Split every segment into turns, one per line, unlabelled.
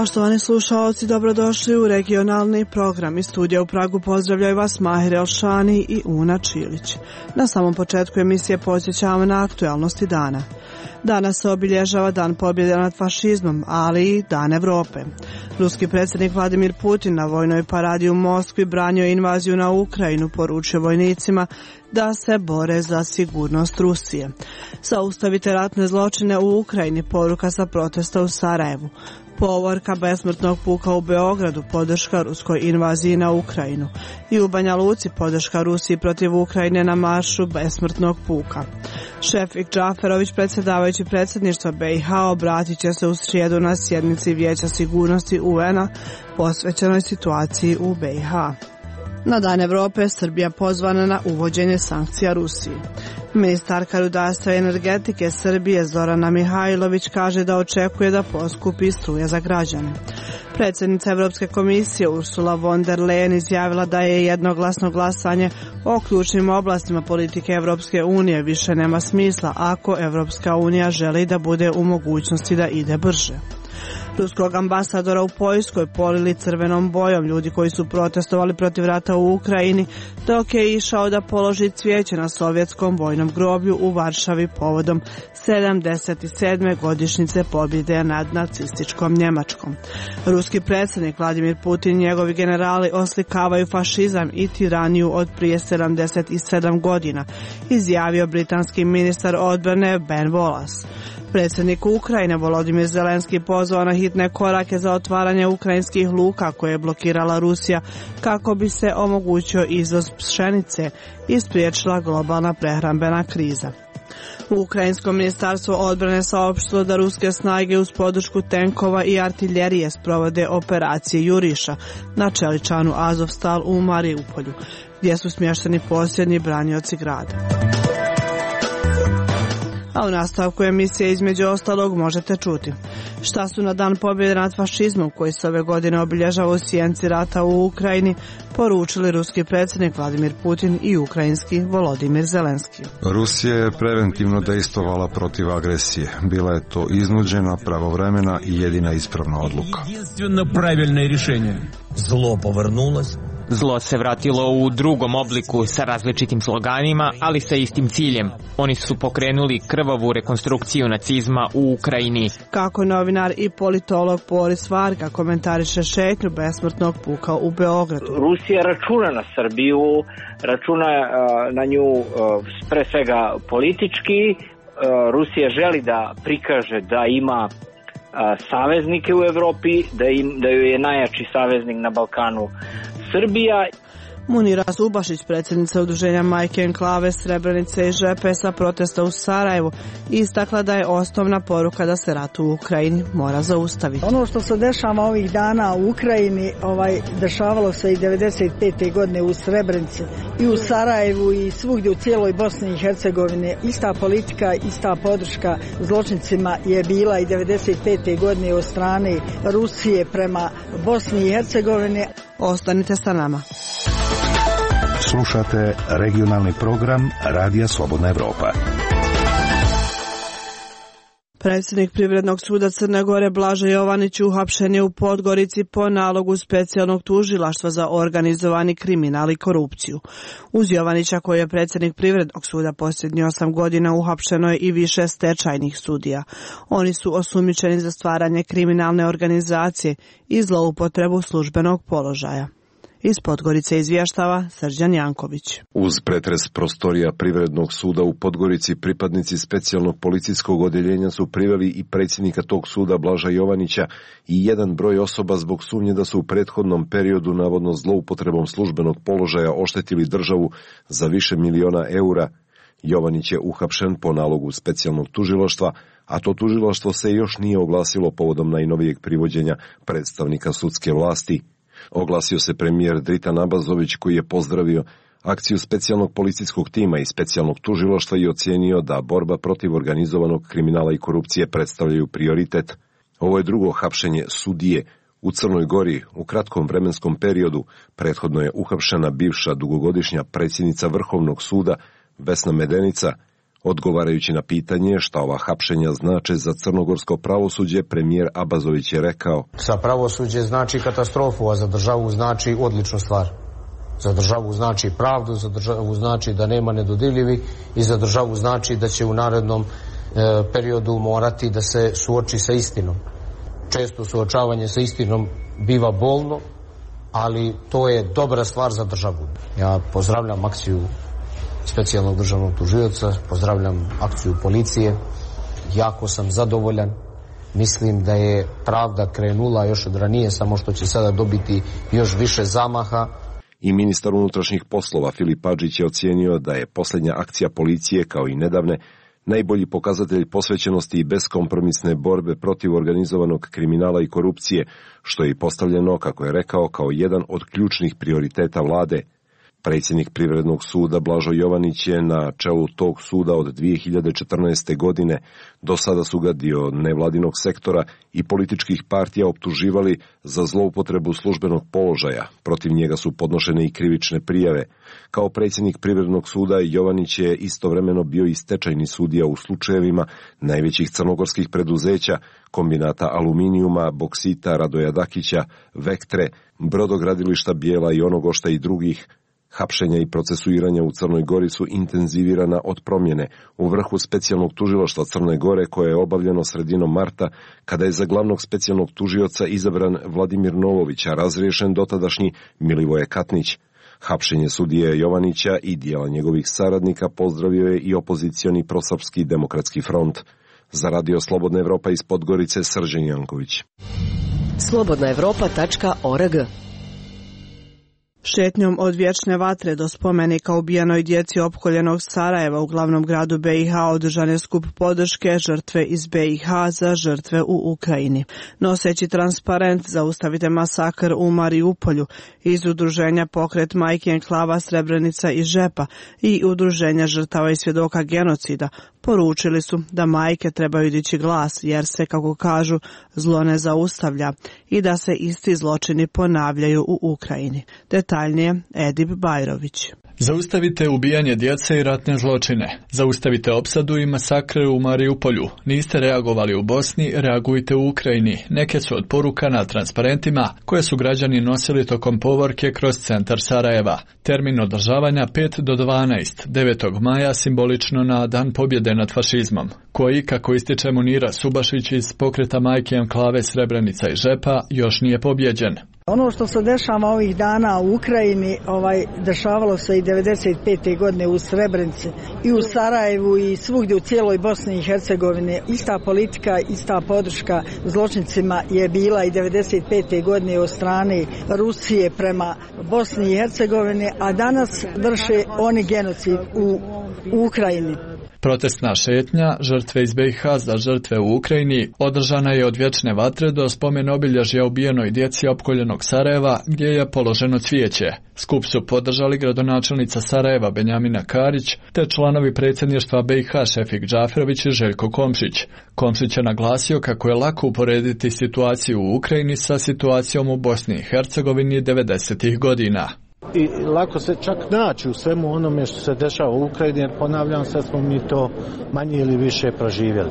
Poštovani slušalci, dobrodošli u regionalni program. Iz studija u Pragu pozdravljaju vas Mahir Elšani i Una Čilić. Na samom početku emisije podsjećamo na aktualnosti dana. Danas se obilježava Dan pobjede nad fašizmom, ali i Dan Evrope. Ruski predsjednik Vladimir Putin na vojnoj paradi u Moskvi branio invaziju na Ukrajinu, poručio vojnicima da se bore za sigurnost Rusije. Zaustavite ratne zločine u Ukrajini, poruka sa protesta u Sarajevu. Povorka besmrtnog puka u Beogradu, podrška ruskoj invaziji na Ukrajinu. I u Banja Luci podrška Rusiji protiv Ukrajine na maršu besmrtnog puka. Šefik Džaferović, predsjedavajući predsjedništva BiH, obratit će se u srijedu na sjednici Vijeća sigurnosti UN-a posvećenoj situaciji u BiH. Na Dan Evrope Srbija pozvana na uvođenje sankcija Rusiji. Ministarka rudarstva i energetike Srbije Zorana Mihajlović kaže da očekuje da poskupi struja za građane. Predsjednica Europske komisije Ursula von der Leyen izjavila da je jednoglasno glasanje o ključnim oblastima politike Europske unije više nema smisla ako Europska unija želi da bude u mogućnosti da ide brže. Ruskog ambasadora u Poljskoj polili crvenom bojom ljudi koji su protestovali protiv rata u Ukrajini dok je išao da položi cvijeće na sovjetskom vojnom groblju u Varšavi povodom 77. godišnjice pobjede nad nacističkom Njemačkom. Ruski predsjednik Vladimir Putin i njegovi generali oslikavaju fašizam i tiraniju od prije 77 godina, izjavio britanski ministar odbrane Ben Wallace. Predsjednik Ukrajine Volodimir Zelenski pozvao na hitne korake za otvaranje ukrajinskih luka koje je blokirala Rusija kako bi se omogućio izvoz pšenice i spriječila globalna prehrambena kriza. Ukrajinsko ministarstvo odbrane saopštilo da ruske snage uz podršku tenkova i artiljerije sprovode operacije Juriša na čeličanu Azovstal u Mariupolju, gdje su smješteni posljednji branioci grada. A u nastavku emisije između ostalog možete čuti šta su na Dan pobjede nad fašizmom koji se ove godine obilježava u sjenci rata u Ukrajini poručili ruski predsjednik Vladimir Putin i ukrajinski Volodimir Zelenski.
Rusija je preventivno dejstvovala protiv agresije. Bila je to iznuđena, pravovremena i jedina ispravna odluka.
Zlo se vratilo u drugom obliku sa različitim sloganima, ali sa istim ciljem. Oni su pokrenuli krvavu rekonstrukciju nacizma u Ukrajini.
Kako novinar i politolog Boris Varga komentariše šetnju besmrtnog puka u Beogradu.
Rusija računa na Srbiju, računa na nju pre svega politički. Rusija želi da prikaže da ima saveznike u Evropi, da joj je najjači saveznik na Balkanu Srbija.
Munira Zubašić, predsjednica udruženja Majke Enklave Srebrenice i Žepe sa protesta u Sarajevu, istakla da je osnovna poruka da se rat u Ukrajini mora zaustaviti.
Ono što se dešava ovih dana u Ukrajini, dešavalo se i 95. godine u Srebrenici i u Sarajevu i svugdje u cijeloj Bosni i Hercegovini. Ista politika, ista podrška zločincima je bila i 95. godine od strane Rusije prema Bosni i Hercegovini.
Ostanite sa nama.
Slušate regionalni program Radija Slobodna Evropa.
Predsjednik Privrednog suda Crne Gore Blaža Jovanić uhapšen je u Podgorici po nalogu specijalnog tužilaštva za organizovani kriminal i korupciju. Uz Jovanića, koji je predsjednik Privrednog suda posljednjih 8 godina, uhapšeno je i više stečajnih sudija. Oni su osumnjičeni za stvaranje kriminalne organizacije i zloupotrebu službenog položaja. Iz Podgorice izvještava Srđan Janković.
Uz pretres prostorija Privrednog suda u Podgorici, pripadnici specijalnog policijskog odjeljenja su priveli i predsjednika tog suda Blaža Jovanića i jedan broj osoba zbog sumnje da su u prethodnom periodu navodno zloupotrebom službenog položaja oštetili državu za više miliona eura. Jovanić je uhapšen po nalogu specijalnog tužilaštva, a to tužilaštvo se još nije oglasilo povodom najnovijeg privođenja predstavnika sudske vlasti. Oglasio se premijer Dritan Abazović, koji je pozdravio akciju specijalnog policijskog tima i specijalnog tužilaštva i ocijenio da borba protiv organizovanog kriminala i korupcije predstavljaju prioritet. Ovo je drugo hapšenje sudije u Crnoj Gori u kratkom vremenskom periodu. Prethodno je uhapšena bivša dugogodišnja predsjednica Vrhovnog suda Vesna Medenica. Odgovarajući na pitanje šta ova hapšenja znače za crnogorsko pravosuđe, premijer Abazović je rekao:
Za pravosuđe znači katastrofu, a za državu znači odličnu stvar. Za državu znači pravdu, za državu znači da nema nedodirljivi i za državu znači da će u narednom periodu morati da se suoči sa istinom. Često suočavanje sa istinom biva bolno, ali to je dobra stvar za državu. Ja pozdravljam akciju specijalnog državnog tužioca, pozdravljam akciju policije, jako sam zadovoljan. Mislim da je pravda krenula još od ranije, samo što će sada dobiti još više zamaha.
I ministar unutrašnjih poslova Filip Adžić je ocijenio da je posljednja akcija policije, kao i nedavne, najbolji pokazatelj posvećenosti i beskompromisne borbe protiv organizovanog kriminala i korupcije, što je i postavljeno, kako je rekao, kao jedan od ključnih prioriteta vlade. Predsjednik Privrednog suda Blažo Jovanić je na čelu tog suda od 2014. godine. Do sada su ga dio nevladinog sektora i političkih partija optuživali za zloupotrebu službenog položaja. Protiv njega su podnošene i krivične prijave. Kao predsjednik Privrednog suda Jovanić je istovremeno bio i stečajni sudija u slučajevima najvećih crnogorskih preduzeća, kombinata aluminijuma, boksita Radoja Dakića, Vektre, brodogradilišta Bijela i Onogošta i drugih. Hapšenja i procesuiranja u Crnoj Gori su intenzivirana od promjene u vrhu specijalnog tužilaštva Crne Gore, koje je obavljeno sredinom marta, kada je za glavnog specijalnog tužioca izabran Vladimir Novović, a razriješen dotadašnji Milivoje Katnić. Hapšenje sudije Jovanića i dijela njegovih saradnika pozdravio je i opozicioni prosrpski demokratski front. Za Radio Slobodna Evropa iz Podgorice, Srđan Janković.
slobodnaevropa.org.
Šetnjom od vječne vatre do spomenika ubijenoj djeci opkoljenog Sarajeva u glavnom gradu BiH održan je skup podrške žrtve iz BiH za žrtve u Ukrajini. Noseći transparent Zaustavite masakr u Mariupolju iz udruženja Pokret majki enklava Srebrenica i Žepa i udruženja žrtava i svjedoka genocida poručili su da majke trebaju dići glas jer se, kako kažu, zlo ne zaustavlja i da se isti zločini ponavljaju u Ukrajini. Detaljnije Edip Bajrović.
Zaustavite ubijanje djece i ratne zločine. Zaustavite opsadu i masakre u Mariupolju. Niste reagovali u Bosni, reagujte u Ukrajini. Neke su od poruka na transparentima koje su građani nosili tokom povorke kroz centar Sarajeva. Termin održavanja 5 do 12, 9. maja simbolično na Dan pobjede nad fašizmom, koji, kako ističe Munira Subašić iz Pokreta majke enklave Srebrenica i Žepa, još nije pobjeđen.
Ono što se dešava ovih dana u Ukrajini, dešavalo se i 95. godine u Srebrenici i u Sarajevu i svugdje u cijeloj Bosni i Hercegovini. Ista politika, ista podrška zločincima je bila i 95. godine od strane Rusije prema Bosni i Hercegovini, a danas vrše oni genocid u Ukrajini.
Protestna šetnja žrtve iz BiH za žrtve u Ukrajini održana je od vječne vatre do spomen obilježja ubijenoj djeci opkoljenog Sarajeva, gdje je položeno cvijeće. Skup su podržali gradonačelnica Sarajeva Benjamina Karić te članovi predsjedništva BiH Šefik Džaferović i Željko Komšić. Komšić je naglasio kako je lako uporediti situaciju u Ukrajini sa situacijom u Bosni i Hercegovini 90. godina.
I lako se čak naći u svemu onome što se dešava u Ukrajini, jer ponavljam, sad smo mi to manje ili više proživjeli.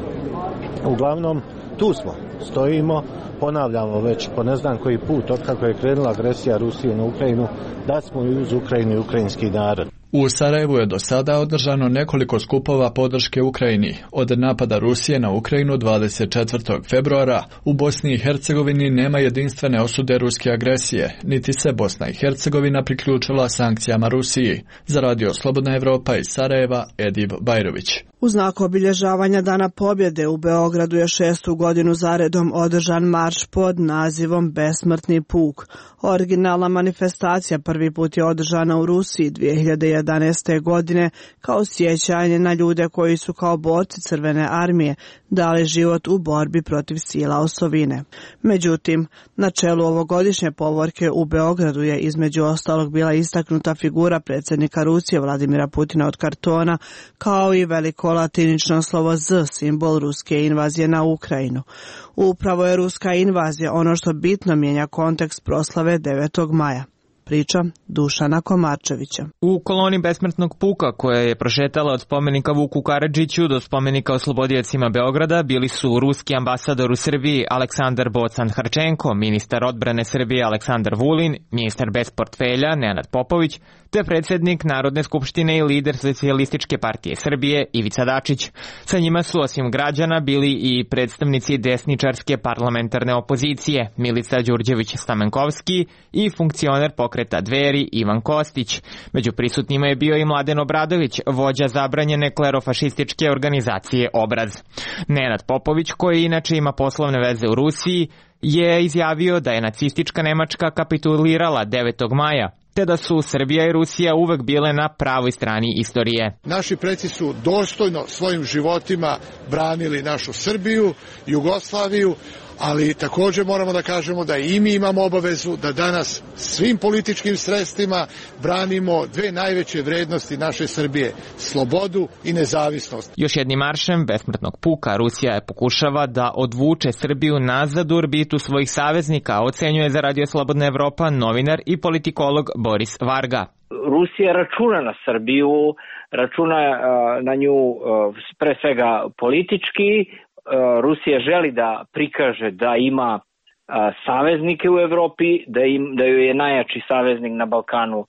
Uglavnom, tu smo, stojimo, ponavljamo već po ne znam koji put, otkako je krenula agresija Rusije na Ukrajinu, da smo i uz Ukrajinu i ukrajinski narod.
U Sarajevu je do sada održano nekoliko skupova podrške Ukrajini. Od napada Rusije na Ukrajinu 24. februara u Bosni i Hercegovini nema jedinstvene osude ruske agresije, niti se Bosna i Hercegovina priključila sankcijama Rusiji. Za Radio Slobodna Evropa iz Sarajeva, Edip Bajrović.
U znak obilježavanja Dana pobjede u Beogradu je 6. godinu zaredom održan marš pod nazivom Besmrtni puk. Originalna manifestacija prvi put je održana u Rusiji 2011. godine kao sjećanje na ljude koji su kao borci Crvene armije dali život u borbi protiv sila osovine. Međutim, na čelu ovogodišnje povorke u Beogradu je između ostalog bila istaknuta figura predsjednika Rusije Vladimira Putina od kartona, kao i veliko latinično slovo Z, simbol ruske invazije na Ukrajinu. Upravo je ruska invazija ono što bitno mijenja kontekst proslave 9. maja. priča Dušana Komarčevića.
U koloni besmrtnog puka koja je prošetala od spomenika Vuku Karadžiću do spomenika oslobodiocima Beograda bili su ruski ambasador u Srbiji Aleksandar Bocan-Harčenko, ministar odbrane Srbije Aleksandar Vulin, ministar bez portfelja Nenad Popović, te predsjednik Narodne skupštine i lider Socijalističke partije Srbije Ivica Dačić. Sa njima su osim građana bili i predstavnici desničarske parlamentarne opozicije Milica Đurđević-Stamenkovski i funkcioner pokreta Dveri Ivan Kostić. Među prisutnima je bio i Mladen Obradović, vođa zabranjene klerofašističke organizacije Obraz. Nenad Popović, koji inače ima poslovne veze u Rusiji, je izjavio da je nacistička Nemačka kapitulirala 9. maja, te da su Srbija i Rusija uvek bile na pravoj strani istorije.
Naši preci su dostojno svojim životima branili našu Srbiju, Jugoslaviju, ali također moramo da kažemo da i mi imamo obavezu da danas svim političkim sredstvima branimo dve najveće vrednosti naše Srbije, slobodu i nezavisnost.
Još jednim maršem besmrtnog puka Rusija je pokušava da odvuče Srbiju nazad u orbitu svojih saveznika, ocenjuje za Radio Slobodna Evropa novinar i politikolog Boris Varga.
Rusija računa na Srbiju, računa na nju pre svega politički. Rusija želi da prikaže da ima saveznike u Evropi, da joj je najjači saveznik na Balkanu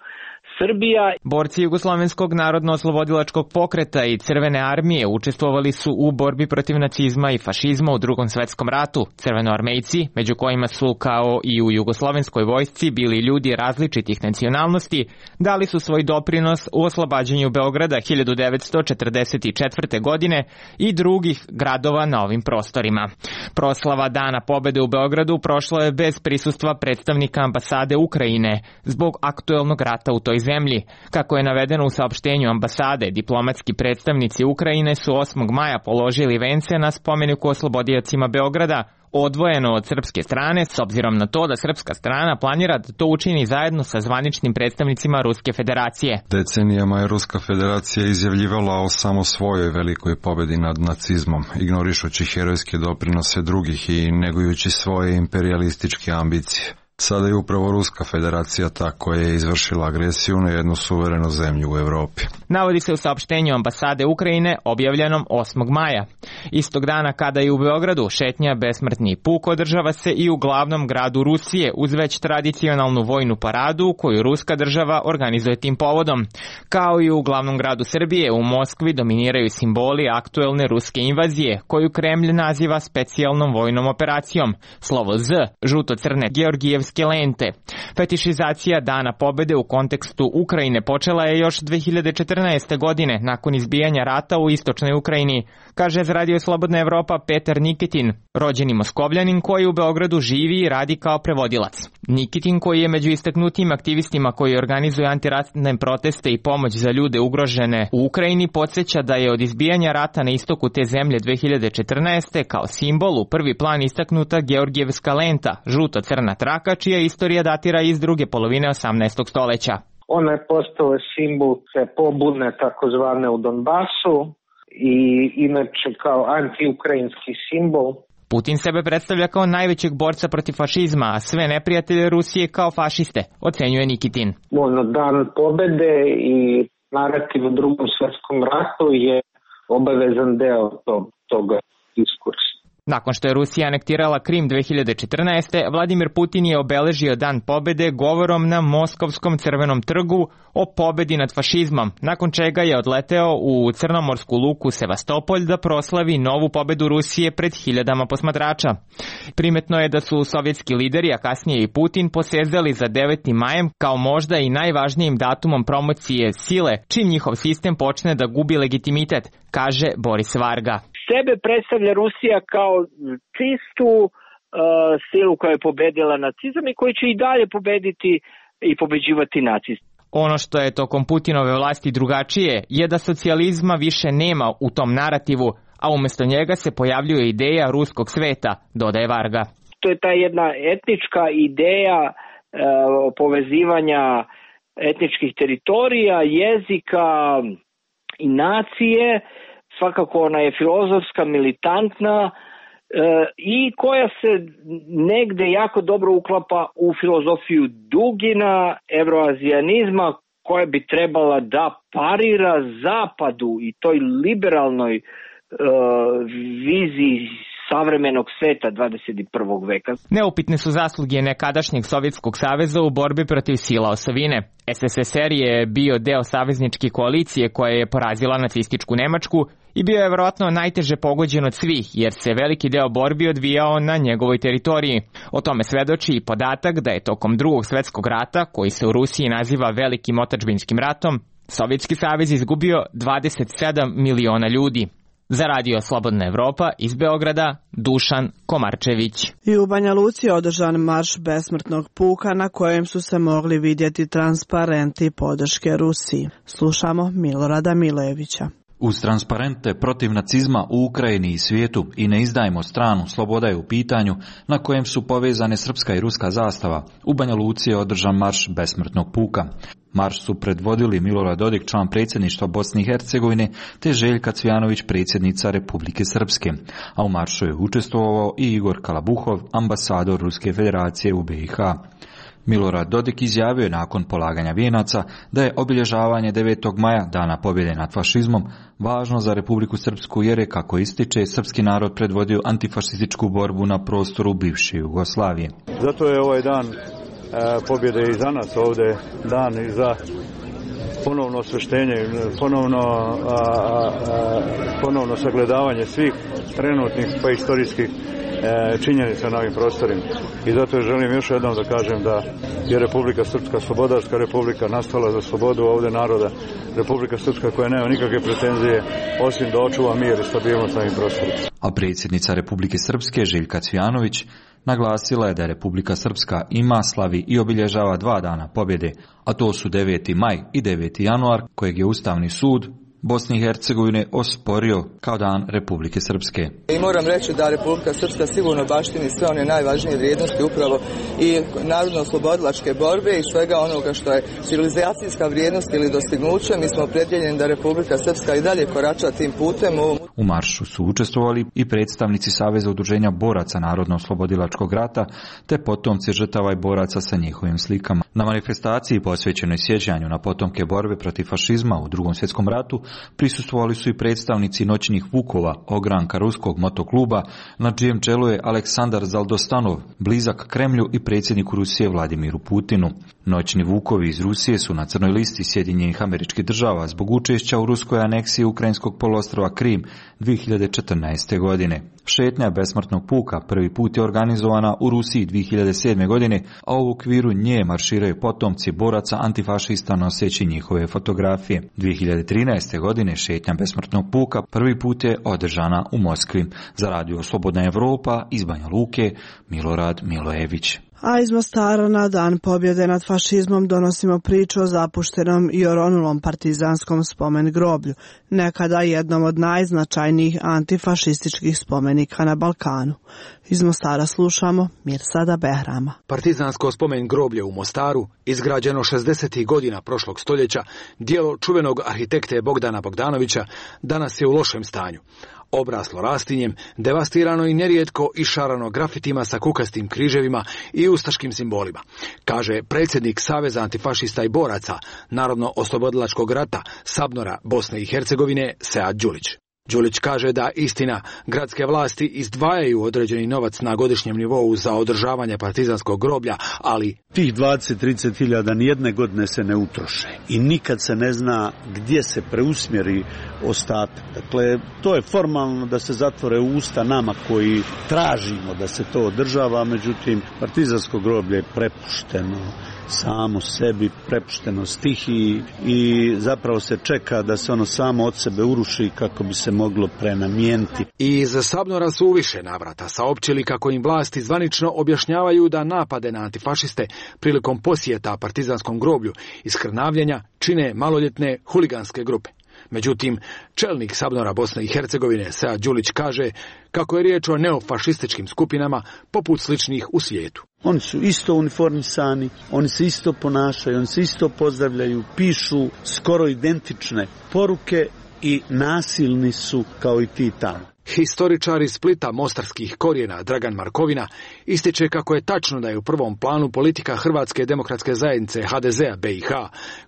Srbija.
Borci Jugoslovenskog narodno-oslobodilačkog pokreta i Crvene armije učestvovali su u borbi protiv nacizma i fašizma u Drugom svetskom ratu. Crvenoarmejci, među kojima su kao i u jugoslovenskoj vojsci bili ljudi različitih nacionalnosti, dali su svoj doprinos u oslobađanju Beograda 1944. godine i drugih gradova na ovim prostorima. Proslava Dana pobede u Beogradu prošla je bez prisustva predstavnika ambasade Ukrajine zbog aktuelnog rata u toj zemlji. Kako je navedeno u saopštenju ambasade, diplomatski predstavnici Ukrajine su 8. maja položili vence na spomeniku oslobodiocima Beograda, odvojeno od srpske strane, s obzirom na to da srpska strana planira da to učini zajedno sa zvaničnim predstavnicima Ruske federacije.
Decenijama je Ruska federacija izjavljivala o samo svojoj velikoj pobedi nad nacizmom, ignorišući herojske doprinose drugih i negujući svoje imperialističke ambicije. Sada je upravo Ruska federacija ta koja je izvršila agresiju na jednu suverenu zemlju u Evropi.
Navodi se u saopštenju ambasade Ukrajine objavljenom 8. maja. Istog dana kada je u Beogradu šetnja besmrtni puk održava se i u glavnom gradu Rusije uz već tradicionalnu vojnu paradu koju ruska država organizuje tim povodom. Kao i u glavnom gradu Srbije, u Moskvi dominiraju simboli aktuelne ruske invazije koju Kremlj naziva specijalnom vojnom operacijom. Slovo Z, žuto-crne Georgijevske lente. Fetišizacija Dana pobede u kontekstu Ukrajine počela je još 2014. godine nakon izbijanja rata u istočnoj Ukrajini, kaže za Radio Slobodna Evropa Petar Nikitin, rođeni Moskovljanin koji u Beogradu živi i radi kao prevodilac. Nikitin, koji je među istaknutim aktivistima koji organizuju antiratne proteste i pomoć za ljude ugrožene u Ukrajini, podsjeća da je od izbijanja rata na istoku te zemlje 2014. kao simbol u prvi plan istaknuta Georgijevska lenta, žuto-crna traka, čija istorija datira iz druge polovine 18. stoljeća.
Ona je postala simbol te pobune takozvane u Donbasu i inače kao antiukrajinski simbol.
Putin sebe predstavlja kao najvećeg borca protiv fašizma, a sve neprijatelje Rusije kao fašiste, ocenjuje Nikitin.
Dan pobede i narativ u Drugom svjetskom ratu je obavezan deo toga diskursa.
Nakon što je Rusija anektirala Krim 2014. Vladimir Putin je obeležio Dan pobede govorom na Moskovskom Crvenom trgu o pobedi nad fašizmom, nakon čega je odleteo u crnomorsku luku Sevastopolj da proslavi novu pobedu Rusije pred hiljadama posmatrača. Primetno je da su sovjetski lideri, a kasnije i Putin, posezali za 9. majem kao možda i najvažnijim datumom promocije sile, čim njihov sistem počne da gubi legitimitet, kaže Boris Varga.
Sebe predstavlja Rusija kao čistu silu koja je pobedila nacizam i koji će i dalje pobediti i pobeđivati nacizam.
Ono što je tokom Putinove vlasti drugačije je da socijalizma više nema u tom narativu, a umjesto njega se pojavljuje ideja ruskog sveta, dodaje Varga.
To je ta jedna etnička ideja povezivanja etničkih teritorija, jezika i nacije. Svakako ona je filozofska, militantna i koja se negde jako dobro uklapa u filozofiju Dugina, evroazijanizma, koja bi trebala da parira zapadu i toj liberalnoj viziji savremenog sveta 21. veka.
Neupitne su zasluge nekadašnjeg Sovjetskog saveza u borbi protiv sila osovine. SSSR je bio deo savezničke koalicije koja je porazila nacističku Nemačku i bio je vjerojatno najteže pogođen od svih, jer se veliki deo borbi odvijao na njegovoj teritoriji. O tome svedoči i podatak da je tokom Drugog svjetskog rata, koji se u Rusiji naziva Velikim otadžbinskim ratom, Sovjetski savez izgubio 27 miliona ljudi. Za Radio Slobodna Evropa iz Beograda, Dušan Komarčević.
I u Banja Luci je održan marš besmrtnog puka na kojem su se mogli vidjeti transparenti podrške Rusiji. Slušamo Milorada Milevića.
Uz transparente protiv nacizma u Ukrajini i svijetu i ne izdajmo stranu, sloboda je u pitanju, na kojem su povezane srpska i ruska zastava, u Banja Luci je održan marš besmrtnog puka. Marš su predvodili Milorad Dodik, član predsjedništva Bosne i Hercegovine, te Željka Cvjanović, predsjednica Republike Srpske. A u maršu je učestvovao i Igor Kalabuhov, ambasador Ruske federacije u BiH. Milorad Dodik izjavio je nakon polaganja vijenaca da je obilježavanje 9. maja, dana pobjede nad fašizmom, važno za Republiku Srpsku jer je, kako ističe, srpski narod predvodio antifašističku borbu na prostoru bivše Jugoslavije.
Zato je ovaj dan pobjede i za nas ovdje dan i za ponovno osveštenje, ponovno sagledavanje svih trenutnih pa istorijskih činjenica na ovim prostorima. I zato želim još jednom da kažem da je Republika Srpska slobodarska republika, nastala za slobodu ovdje naroda. Republika Srpska koja nema nikakve pretenzije osim da očuva mir i stabilnost na ovim prostorima.
A predsjednica Republike Srpske Željka Cvjanović naglasila je da Republika Srpska ima, slavi i obilježava 2 dana pobjede, a to su 9. maj i 9. januar, kojeg je Ustavni sud Bosne i Hercegovine osporio kao dan Republike Srpske.
I moram reći da Republika Srpska sigurno baštini sve one najvažnije vrijednosti upravo i narodno-oslobodilačke borbe i svega onoga što je civilizacijska vrijednost ili dostignuće. Mi smo opredjeljeni da Republika Srpska i dalje korača tim putem.
U maršu su učestvovali i predstavnici Saveza udruženja boraca Narodno-oslobodilačkog rata te potomci žrtava i boraca sa njihovim slikama. Na manifestaciji posvećenoj sjećanju na potomke borbe protiv fašizma u Drugom svjetskom ratu prisustvovali su i predstavnici noćnih vukova, ogranka ruskog motokluba, na čijem čelu je Aleksandar Zaldostanov, blizak Kremlju i predsjedniku Rusije Vladimiru Putinu. Noćni vukovi iz Rusije su na crnoj listi Sjedinjenih Američkih Država zbog učešća u ruskoj aneksiji ukrajinskog poluostrva Krim 2014. godine. Šetnja besmrtnog puka prvi put je organizovana u Rusiji 2007. godine, a u okviru nje marširaju potomci boraca antifašista noseći njihove fotografije. 2013. godine šetnja besmrtnog puka prvi put je održana u Moskvi. Za Radio Slobodna Evropa iz Banja Luke, Milorad Milojević.
A iz Mostara na dan pobjede nad fašizmom donosimo priču o zapuštenom i oronulom partizanskom spomen groblju, nekada jednom od najznačajnijih antifašističkih spomenika na Balkanu. Iz Mostara slušamo Mirsada Behrama.
Partizansko spomen groblje u Mostaru, izgrađeno 60. godina prošlog stoljeća, dijelo čuvenog arhitekte Bogdana Bogdanovića, danas je u lošem stanju. Obraslo rastinjem, devastirano i nerijetko išarano grafitima sa kukastim križevima i ustaškim simbolima, kaže predsjednik Saveza antifašista i boraca Narodno-oslobodilačkog rata Sabnora Bosne i Hercegovine Sead Đulić. Đulić kaže da istina, gradske vlasti izdvajaju određeni novac na godišnjem nivou za održavanje partizanskog groblja, ali
tih 20-30 hiljada nijedne godine se ne utroše i nikad se ne zna gdje se preusmjeri ostatak. Dakle, to je formalno da se zatvore usta nama koji tražimo da se to održava, međutim, partizansko groblje je prepušteno samo sebi, prepušteno stihiji i zapravo se čeka da se ono samo od sebe uruši kako bi se moglo prenamijeniti.
I iz Sabnora su u više navrata saopćili kako im vlasti zvanično objašnjavaju da napade na antifašiste prilikom posjeta partizanskom groblju i skrnavljenja čine maloljetne huliganske grupe. Međutim, čelnik Sabnora Bosne i Hercegovine Sead Đulić kaže kako je riječ o neofašističkim skupinama poput sličnih u svijetu.
Oni su isto uniformisani, oni se isto ponašaju, oni se isto pozdravljaju, pišu skoro identične poruke i nasilni su kao i ti tamo.
Historičar iz Splita mostarskih korijena Dragan Markovina ističe kako je tačno da je u prvom planu politika Hrvatske demokratske zajednice HDZ-a BiH,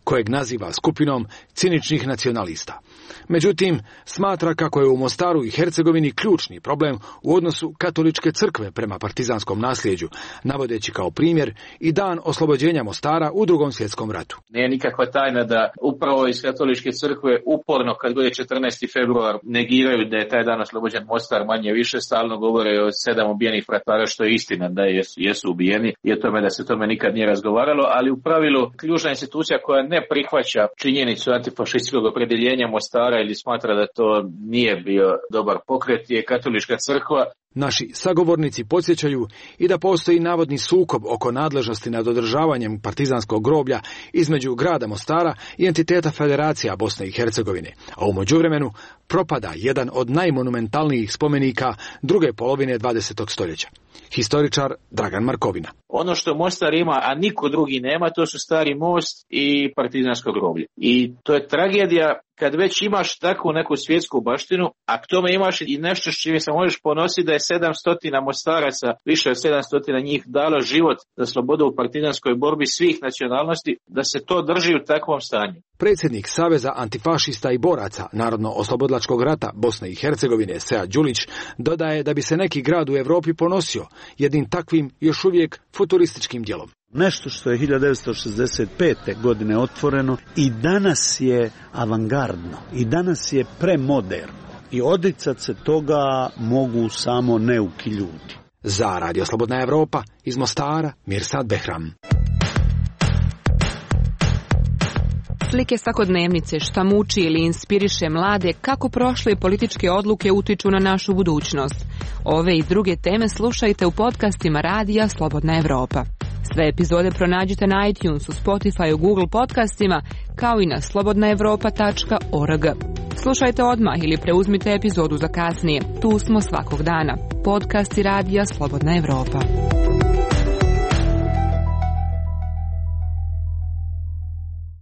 kojeg naziva skupinom ciničnih nacionalista. Međutim, smatra kako je u Mostaru i Hercegovini ključni problem u odnosu katoličke crkve prema partizanskom nasljeđu, navodeći kao primjer i dan oslobođenja Mostara u Drugom svjetskom ratu.
Nije nikakva tajna da upravo iz katoličke crkve uporno kad god je 14. februar negiraju da je taj dan oslobođen Mostar, manje više stalno govore o 7 ubijenih fratara, što je istina da jesu ubijeni i o tome da se tome nikad nije razgovaralo, ali u pravilu ključna institucija koja ne prihvaća činjenicu antifašističkog opredjeljenja Mostara ili smatra da to nije bio dobar pokret je katolička crkva.
Naši sagovornici podsjećaju i da postoji navodni sukob oko nadležnosti nad održavanjem partizanskog groblja između grada Mostara i entiteta Federacija Bosne i Hercegovine, a u međuvremenu propada jedan od najmonumentalnijih spomenika druge polovine 20. stoljeća. Historičar Dragan Markovina.
Ono što Mostar ima, a niko drugi nema, to su Stari most i partizansko groblje. I to je tragedija kad već imaš takvu neku svjetsku baštinu, a k tome imaš i nešto s čime se možeš ponositi da je 700 Mostaraca, više od 700 njih dalo život za slobodu u partizanskoj borbi svih nacionalnosti, da se to drži u takvom stanju.
Predsjednik Saveza antifašista i boraca Narodno-oslobodilačkog rata Bosne i Hercegovine Sead Đulić dodaje da bi se neki grad u Europi ponosio jednim takvim još uvijek futurističkim djelom.
Nešto što je 1965. godine otvoreno i danas je avangardno i danas je premoderno i odricat se toga mogu samo neuki ljudi.
Za Radio Slobodna Evropa iz Mostara Mirsad Behram.
Slike svakodnevnice šta muči ili inspiriše mlade kako prošle političke odluke utiču na našu budućnost. Ove i druge teme slušajte u podcastima Radija Slobodna Evropa. Sve epizode pronađite na iTunesu, Spotify, Google podcastima, kao i na slobodnaevropa.org. Slušajte odmah ili preuzmite epizodu za kasnije. Tu smo svakog dana. Podcasti Radija Slobodna Evropa.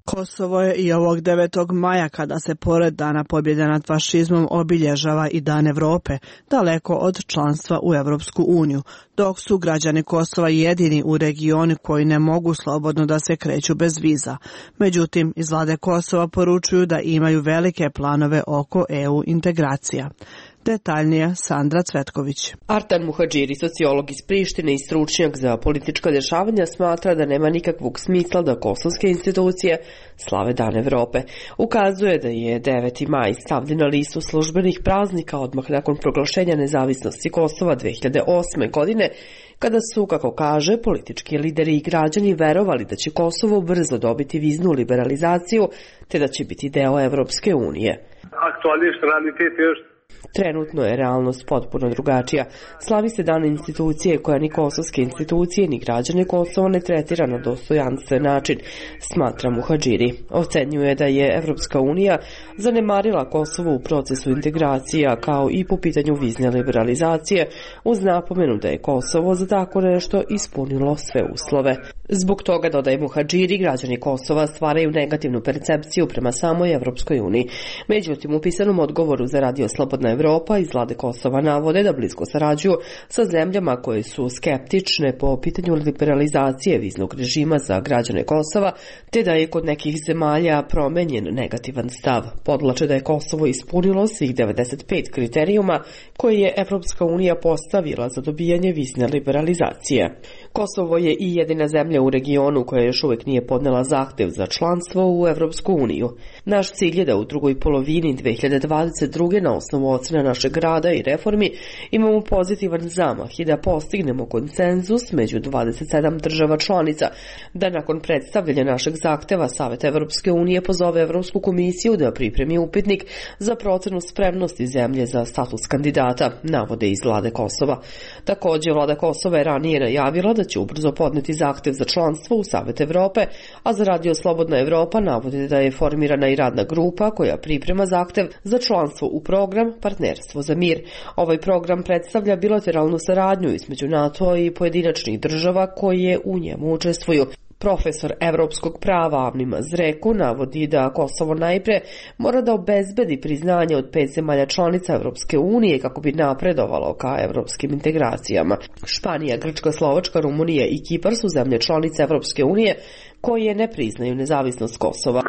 Kosovo je i ovog 9. maja, kada se pored Dana pobjede nad fašizmom obilježava i Dan Evrope, daleko od članstva u Evropsku uniju, dok su građani Kosova jedini u regionu koji ne mogu slobodno da se kreću bez viza. Međutim, iz vlade Kosova poručuju da imaju velike planove oko EU integracija. Detaljnije Sandra Cvetković.
Artan Muhadžiri, sociolog iz Prištine i stručnjak za politička dešavanja, smatra da nema nikakvog smisla da kosovske institucije slave Dan Evrope. Ukazuje da je 9. maj stavljen na listu službenih praznika odmah nakon proglašenja nezavisnosti Kosova 2008. godine, kada su, kako kaže, politički lideri i građani verovali da će Kosovo brzo dobiti viznu liberalizaciju, te da će biti deo Evropske unije. Trenutno je realnost potpuno drugačija. Slavi se dan institucije koja ni kosovske institucije ni građane Kosova ne tretira na dostojanstven način, smatra Muhadžiri. Ocenjuje da je Evropska unija zanemarila Kosovo u procesu integracija, kao i po pitanju vizne liberalizacije, uz napomenu da je Kosovo za tako nešto ispunilo sve uslove. Zbog toga, dodaje Muhadžiri, građani Kosova stvaraju negativnu percepciju prema samoj Evropskoj uniji. Međutim, u pisanom odgovoru za Radio Slobodna Evropa iz vlade Kosova navode da blisko sarađuju sa zemljama koje su skeptične po pitanju liberalizacije viznog režima za građane Kosova, te da je kod nekih zemalja promenjen negativan stav. Podvlače da je Kosovo ispunilo svih 95 kriterijuma koje je Evropska unija postavila za dobijanje vizne liberalizacije. Kosovo je i jedina zemlja u regionu koja još uvijek nije podnela zahtev za članstvo u Evropsku uniju. Naš cilj je da u drugoj polovini 2022. na osnovu ocena našeg rada i reformi imamo pozitivan zamah i da postignemo konsenzus među 27 država članica, da nakon predstavljanja našeg zahteva Savet Evropske unije pozove Evropsku komisiju da pripremi upitnik za procenu spremnosti zemlje za status kandidata, navode iz vlade Kosova. Također, vlada Kosova je ranije najavila da će ubrzo podneti zahtev za članstvo u Savet Evrope, a za Radio Slobodna Evropa navode da je formirana i radna grupa koja priprema zahtev za članstvo u program Partnerstvo za mir. Ovaj program predstavlja bilateralnu saradnju između NATO i pojedinačnih država koje u njemu učestvuju. Profesor evropskog prava Avni Mazreku navodi da Kosovo najpre mora da obezbedi priznanje od 5 zemalja članica Evropske unije kako bi napredovalo ka evropskim integracijama. Španija, Grčka, Slovačka, Rumunija i Kipar su zemlje članice Evropske unije koje ne priznaju nezavisnost Kosova.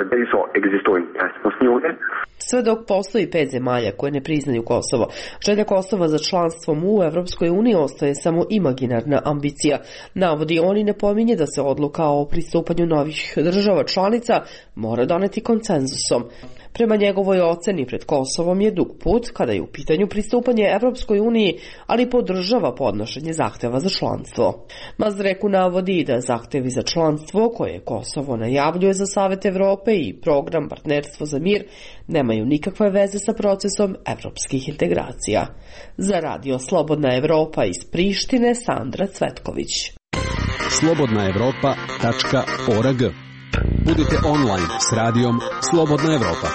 Sve dok postoji 5 zemalja koje ne priznaju Kosovo, želja Kosova za članstvom u Evropskoj uniji ostaje samo imaginarna ambicija. Navodi on i napominje da se odluka o pristupanju novih država članica mora doneti konsenzusom. Prema njegovoj oceni pred Kosovom je dug put kada je u pitanju pristupanje Evropskoj uniji, ali podržava podnošenje zahteva za članstvo. Mazreku navodi da zahtevi za članstvo koje Kosovo najavljuje za Savet Evrope i program Partnerstvo za mir nemaju nikakve veze sa procesom evropskih integracija. Za Radio Slobodna Evropa iz Prištine, Sandra Cvetković.
slobodnaevropa.org. Budite online s radijom Slobodna Evropa.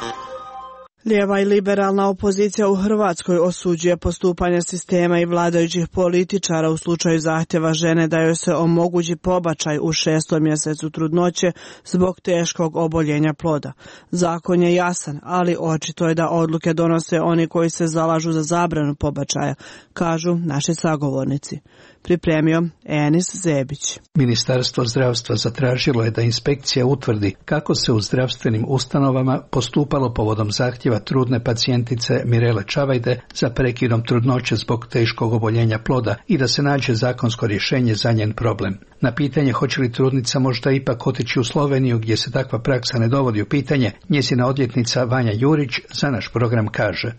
Lijeva i liberalna opozicija u Hrvatskoj osuđuje postupanje sistema i vladajućih političara u slučaju zahtjeva žene da joj se omogući pobačaj u 6. mjesecu trudnoće zbog teškog oboljenja ploda. Zakon je jasan, ali očito je da odluke donose oni koji se zalažu za zabranu pobačaja, kažu naši sagovornici. Pripremio Enis Zebić.
Ministarstvo zdravstva zatražilo je da inspekcija utvrdi kako se u zdravstvenim ustanovama postupalo povodom zahtjeva trudne pacijentice Mirele Čavajde za prekidom trudnoće zbog teškog oboljenja ploda i da se nađe zakonsko rješenje za njen problem. Na pitanje hoće li trudnica možda ipak otići u Sloveniju gdje se takva praksa ne dovodi u pitanje, njezina odvjetnica Vanja Jurić za naš program kaže: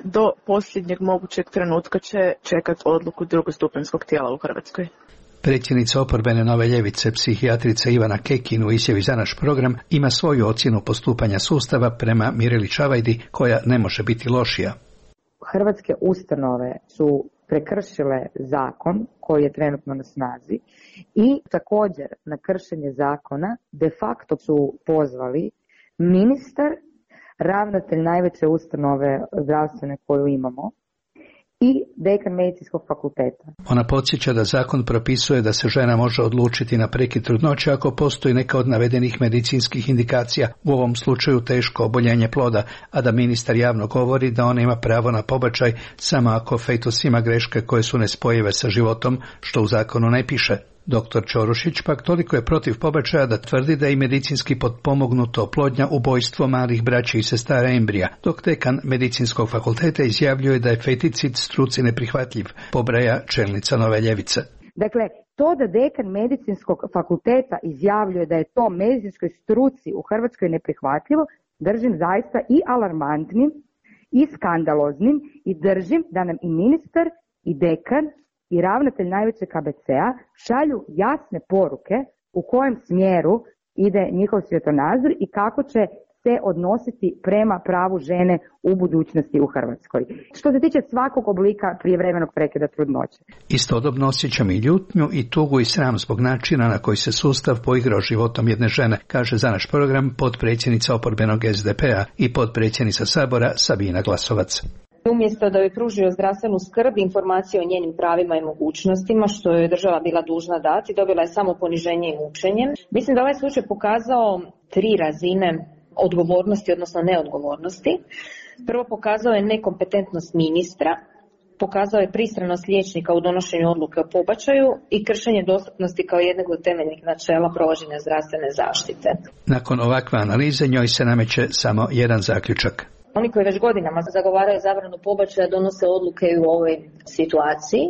do posljednjeg mogućeg trenutka će čekati odluku drugostupanjskog tijela u Hrvatskoj.
Predsjednica oporbene Nove ljevice, psihijatrica Ivana Kekin u izjavi za naš program ima svoju ocjenu postupanja sustava prema Mireli Čavajdi koja ne može biti lošija.
Hrvatske ustanove su prekršile zakon koji je trenutno na snazi i također na kršenje zakona de facto su pozvali ministar, ravnatelj najveće ustanove zdravstvene koju imamo i dekan medicinskog fakulteta.
Ona podsjeća da zakon propisuje da se žena može odlučiti na prekid trudnoće ako postoji neka od navedenih medicinskih indikacija, u ovom slučaju teško oboljenje ploda, a da ministar javno govori da ona ima pravo na pobačaj samo ako fetus ima greške koje su nespojive sa životom, što u zakonu ne piše. Dr. Ćorušić pak toliko je protiv pobačaja da tvrdi da je i medicinski potpomognuto oplodnja ubojstvo malih braće i sestara embrija, dok dekan medicinskog fakulteta izjavljuje da je feticid struci neprihvatljiv, pobraja čelnica Nove ljevice.
Dakle, to da dekan medicinskog fakulteta izjavljuje da je to medicinskoj struci u Hrvatskoj neprihvatljivo, držim zaista i alarmantnim i skandaloznim i držim da nam i ministar i dekan i ravnatelj najvećeg KBC-a šalju jasne poruke u kojem smjeru ide njihov svjetonazor i kako će se odnositi prema pravu žene u budućnosti u Hrvatskoj. Što se tiče svakog oblika prijevremenog prekida trudnoće.
Istodobno osjećam i ljutnju i tugu i sram zbog načina na koji se sustav poigrao životom jedne žene, kaže za naš program potpredsjednica oporbenog SDP-a i potpredsjednica Sabora Sabina Glasovac.
Umjesto da joj pružio zdravstvenu skrb, informacije o njenim pravima i mogućnostima, što je država bila dužna dati, dobila je samo poniženje i mučenje. Mislim da ovaj slučaj pokazao 3 razine odgovornosti, odnosno neodgovornosti. Prvo, pokazao je nekompetentnost ministra, pokazao je pristranost liječnika u donošenju odluke o pobačaju i kršenje dostupnosti kao jednog od temeljnih načela provođenja zdravstvene zaštite.
Nakon ovakve analize njoj se nameće samo jedan zaključak.
Oni koji već godinama zagovaraju zabranu pobačaja donose odluke u ovoj situaciji,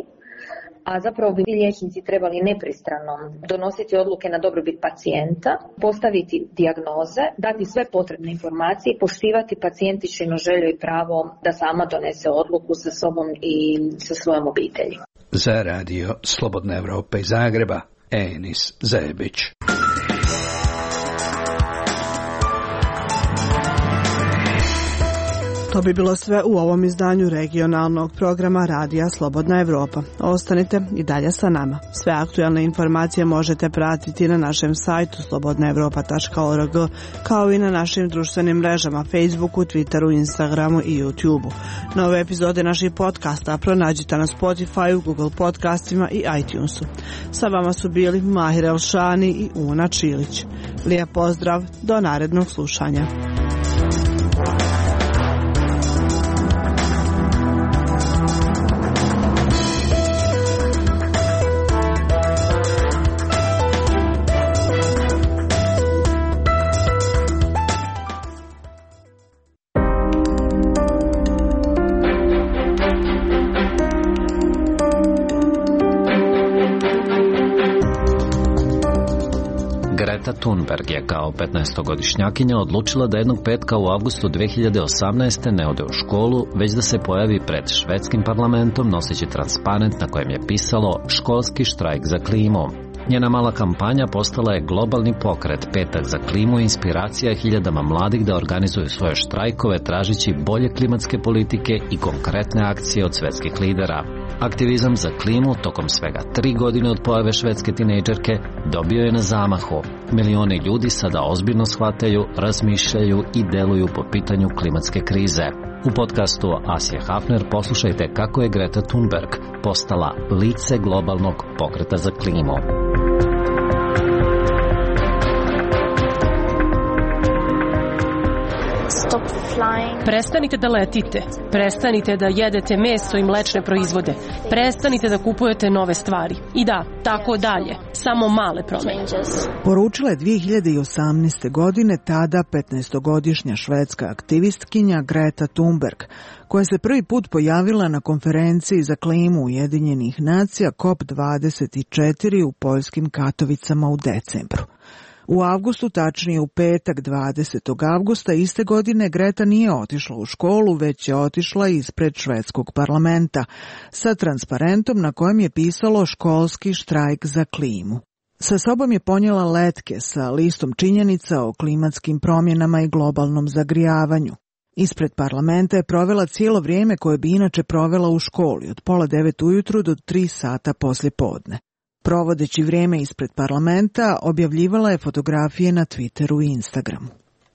a zapravo bi liječnici trebali nepristrano donositi odluke na dobrobit pacijenta, postaviti dijagnoze, dati sve potrebne informacije, poštivati pacijentičinu želju i pravo da sama donese odluku sa sobom i sa svojom obitelji.
Za radio Slobodna Evropa iz Zagreba, Enis Zebić.
To bi bilo sve u ovom izdanju regionalnog programa Radija Slobodna Evropa. Ostanite i dalje sa nama. Sve aktualne informacije možete pratiti na našem sajtu slobodnaevropa.org, kao i na našim društvenim mrežama Facebooku, Twitteru, Instagramu i YouTubeu. Nove epizode naših podcasta pronađite na Spotify, Google podcastima i iTunesu. Sa vama su bili Mahir Elšani i Una Čilić. Lijep pozdrav, do narednog slušanja.
Greta Thunberg je kao 15-godišnjakinja odlučila da jednog petka u avgustu 2018. ne ode u školu, već da se pojavi pred švedskim parlamentom noseći transparent na kojem je pisalo školski štrajk za klimu. Njena mala kampanja postala je globalni pokret. Petak za klimu i inspiracija hiljadama mladih da organizuju svoje štrajkove tražići bolje klimatske politike i konkretne akcije od svetskih lidera. Aktivizam za klimu tokom svega 3 godine od pojave švedske tinejdžerke dobio je na zamahu. Milioni ljudi sada ozbiljno shvataju, razmišljaju i deluju po pitanju klimatske krize. U podcastu Asije Hafner poslušajte kako je Greta Thunberg postala lice globalnog pokreta za klimu.
Prestanite da letite, prestanite da jedete meso i mlečne proizvode, prestanite da kupujete nove stvari. I da, tako dalje, samo male promjene.
Poručila je 2018. godine tada 15-godišnja švedska aktivistkinja Greta Thunberg, koja se prvi put pojavila na konferenciji za klimu Ujedinjenih nacija COP24 u poljskim Katovicama u decembru. U avgustu, tačnije u petak 20. avgusta iste godine, Greta nije otišla u školu, već je otišla ispred švedskog parlamenta sa transparentom na kojem je pisalo školski štrajk za klimu. Sa sobom je ponijela letke sa listom činjenica o klimatskim promjenama i globalnom zagrijavanju. Ispred parlamenta je provela cijelo vrijeme koje bi inače provela u školi, od 8:30 ujutru do 3 sata poslje podne. Provodeći vrijeme ispred parlamenta, objavljivala je fotografije na Twitteru i Instagramu.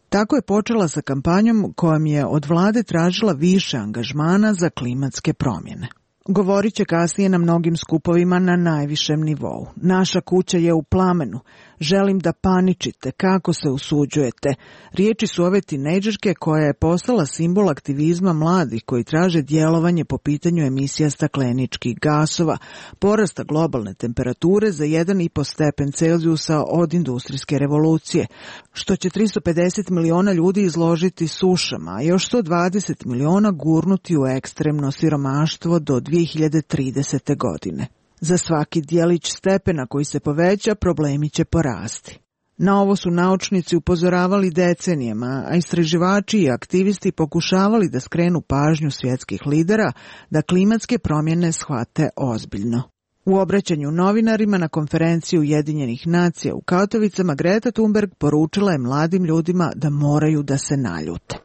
Tako je počela sa kampanjom kojom je od vlade tražila više angažmana za klimatske promjene. Govorit će kasnije na mnogim skupovima na najvišem nivou. Naša kuća je u plamenu. Želim da paničite. Kako se usuđujete? Riječi su ove tinejdžerke koja je postala simbol aktivizma mladih koji traže djelovanje po pitanju emisija stakleničkih gasova, porasta globalne temperature za 1,5 stepen Celzijusa od industrijske revolucije, što će 350 miliona ljudi izložiti sušama, a još 120 miliona gurnuti u ekstremno siromaštvo do 2030. godine. Za svaki dijelić stepena koji se poveća, problemi će porasti. Na ovo su naučnici upozoravali decenijama, a istraživači i aktivisti pokušavali da skrenu pažnju svjetskih lidera da klimatske promjene shvate ozbiljno. U obraćanju novinarima na konferenciji Ujedinjenih nacija u Katovicama, Greta Thunberg poručila je mladim ljudima da moraju da se naljute.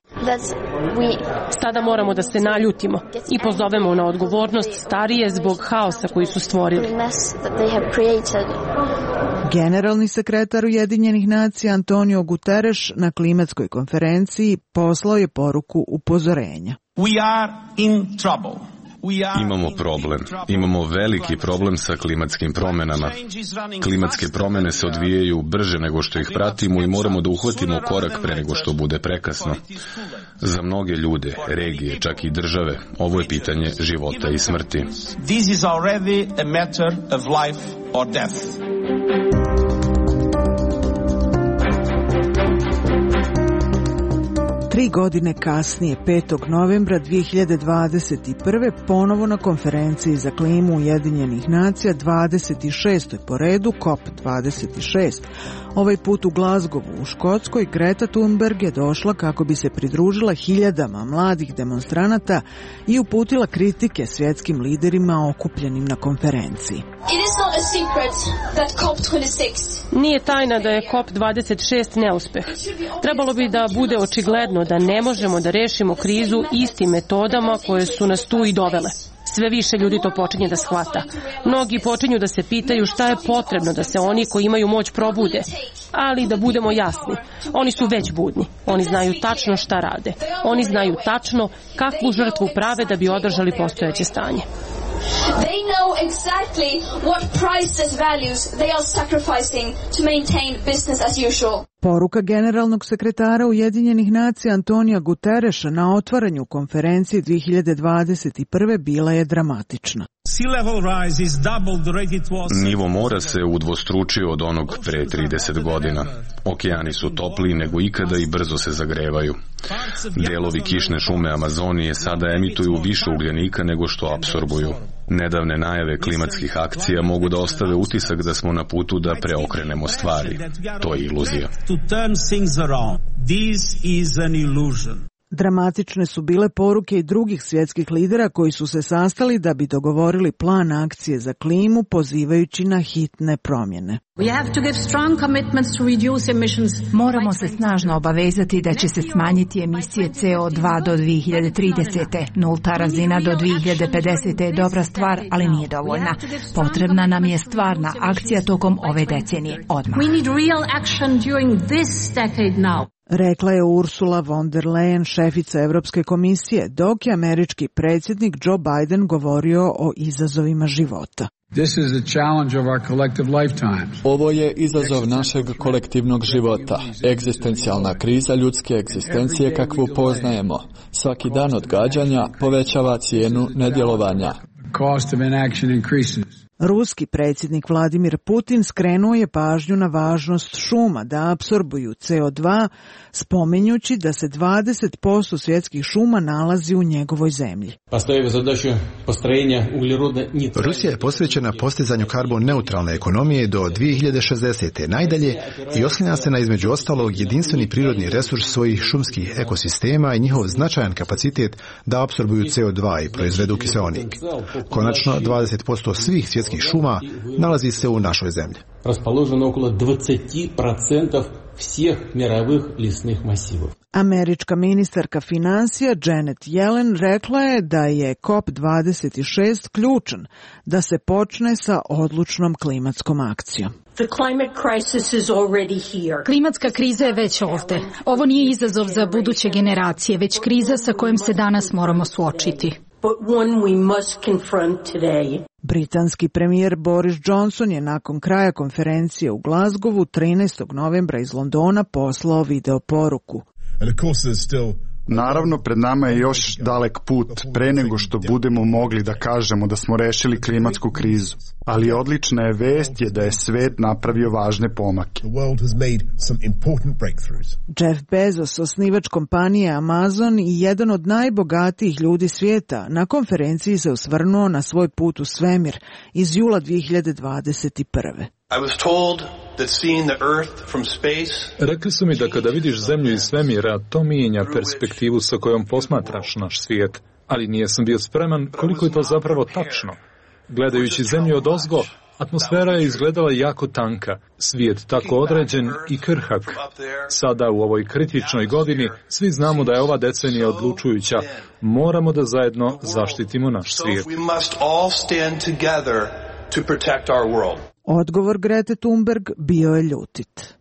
Sada moramo da se naljutimo i pozovemo na odgovornost starije zbog haosa koji su stvorili.
Generalni sekretar Ujedinjenih nacija Antonio Guterres na klimatskoj konferenciji poslao je poruku upozorenja.
Imamo problem. Imamo veliki problem sa klimatskim promjenama. Klimatske promjene se odvijaju brže nego što ih pratimo i moramo da uhvatimo korak pre nego što bude prekasno. Za mnoge ljude, regije, čak i države, ovo je pitanje života i smrti.
This is already a matter of life or death.
Tri godine kasnije, 5. novembra 2021. ponovo na konferenciji za klimu Ujedinjenih nacija, 26. po redu, COP26. Ovaj put u Glasgowu u Škotskoj, Greta Thunberg je došla kako bi se pridružila hiljadama mladih demonstranata i uputila kritike svjetskim liderima okupljenim na konferenciji.
It is not a
Nije tajna da je COP26 neuspeh. Trebalo bi da bude očigledno da ne možemo da rešimo krizu istim metodama koje su nas tu i dovele. Sve više ljudi to počinje da shvata. Mnogi počinju da se pitaju šta je potrebno da se oni koji imaju moć probude. Ali da budemo jasni, oni su već budni. Oni znaju tačno šta rade. Oni znaju tačno kakvu žrtvu prave da bi održali postojeće stanje.
They know exactly what priceless values they are sacrificing to maintain business as usual.
Poruka generalnog sekretara Ujedinjenih nacija Antonija Gutereša na otvaranju konferencije 2021. bila je dramatična.
Nivo mora se udvostručio od onog pre 30 godina. Okeani su topliji nego ikada i brzo se zagrevaju. Delovi kišne šume Amazonije sada emituju više ugljenika nego što apsorbuju. Nedavne najave klimatskih akcija mogu da ostave utisak da smo na putu da preokrenemo stvari. To je iluzija.
Dramatične su bile poruke i drugih svjetskih lidera koji su se sastali da bi dogovorili plan akcije za klimu pozivajući na hitne promjene.
Moramo se snažno obavezati da će se smanjiti emisije CO2 do 2030. Nulta razina do 2050. je dobra stvar, ali nije dovoljna. Potrebna nam je stvarna akcija tokom ove decenije. Odmah.
Rekla je Ursula von der Leyen, šefica Europske komisije, dok je američki predsjednik Joe Biden govorio o izazovima života.
Ovo je izazov našeg kolektivnog života, egzistencijalna kriza ljudske egzistencije kakvu poznajemo. Svaki dan odgađanja povećava cijenu nedjelovanja.
Ruski predsjednik Vladimir Putin skrenuo je pažnju na važnost šuma da apsorbuju CO2, spominjući da se 20% svjetskih šuma nalazi u njegovoj zemlji.
Rusija je posvećena postizanju karbon neutralne ekonomije do 2060. najdalje i oslanja se na između ostalog jedinstveni prirodni resurs svojih šumskih ekosistema i njihov značajan kapacitet da apsorbuju CO2 i proizvedu kiseonik. Konačno, 20% svih svjetskih šuma nalazi se u našoj zemlji.
Расположено около 20% всех мировых лесных массивов.
Američka ministarka financija Janet Yellen rekla je da je COP26 ključan da se počne sa odlučnom klimatskom akcijom.
Klimatska kriza je već ovdje. Ovo nije izazov za buduće generacije, već kriza sa kojom se danas moramo suočiti.
Britanski premijer Boris Johnson je nakon kraja konferencije u Glasgowu 13. novembra iz Londona poslao video poruku.
Naravno, pred nama je još dalek put pre nego što budemo mogli da kažemo da smo rešili klimatsku krizu. Ali odlična je vest je da je svet napravio važne pomake.
Jeff Bezos, osnivač kompanije Amazon i jedan od najbogatijih ljudi svijeta, na konferenciji se osvrnuo na svoj put u svemir iz jula 2021.
Rekli su mi da kada vidiš zemlju iz svemira, to mijenja perspektivu sa kojom posmatraš naš svijet, ali nisam bio spreman koliko je to zapravo tačno. Gledajući zemlju odozgo, atmosfera je izgledala jako tanka, svijet tako određen i krhak. Sada u ovoj kritičnoj godini svi znamo da je ova decenija odlučujuća. Moramo da zajedno zaštitimo naš svijet.
Odgovor Grete Thunberg bio je ljutit.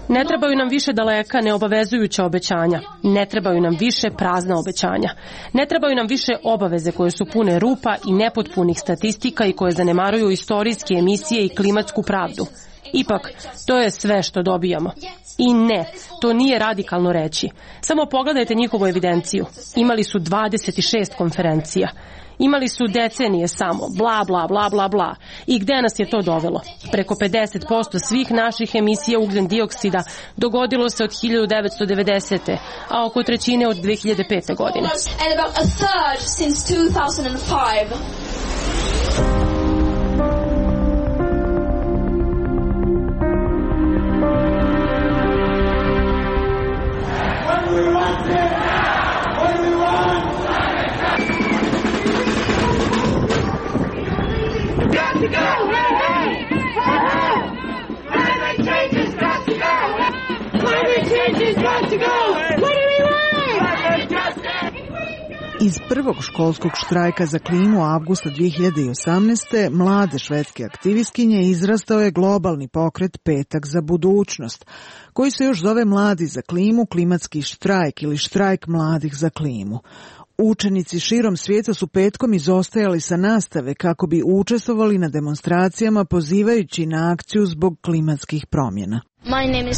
Ne trebaju nam više daleka neobavezujuća obećanja. Ne trebaju nam više prazna obećanja. Ne trebaju nam više obaveze koje su pune rupa i nepotpunih statistika i koje zanemaruju istorijske emisije i klimatsku pravdu. Ipak, to je sve što dobijamo. I ne, to nije radikalno reći. Samo pogledajte njihovu evidenciju. Imali su 26 konferencija. Imali su decenije samo, bla, bla, bla, bla, bla. I gde nas je to dovelo? Preko 50% svih naših emisija ugljen dioksida dogodilo se od 1990. a oko trećine od 2005. godine.
Iz prvog školskog štrajka za klimu avgusta 2018. mlade švedske aktivistkinje izrastao je globalni pokret Petak za budućnost, koji se još zove Mladi za klimu, klimatski štrajk ili štrajk mladih za klimu. Učenici širom svijeta su petkom izostajali sa nastave kako bi učestvovali na demonstracijama pozivajući na akciju zbog klimatskih promjena.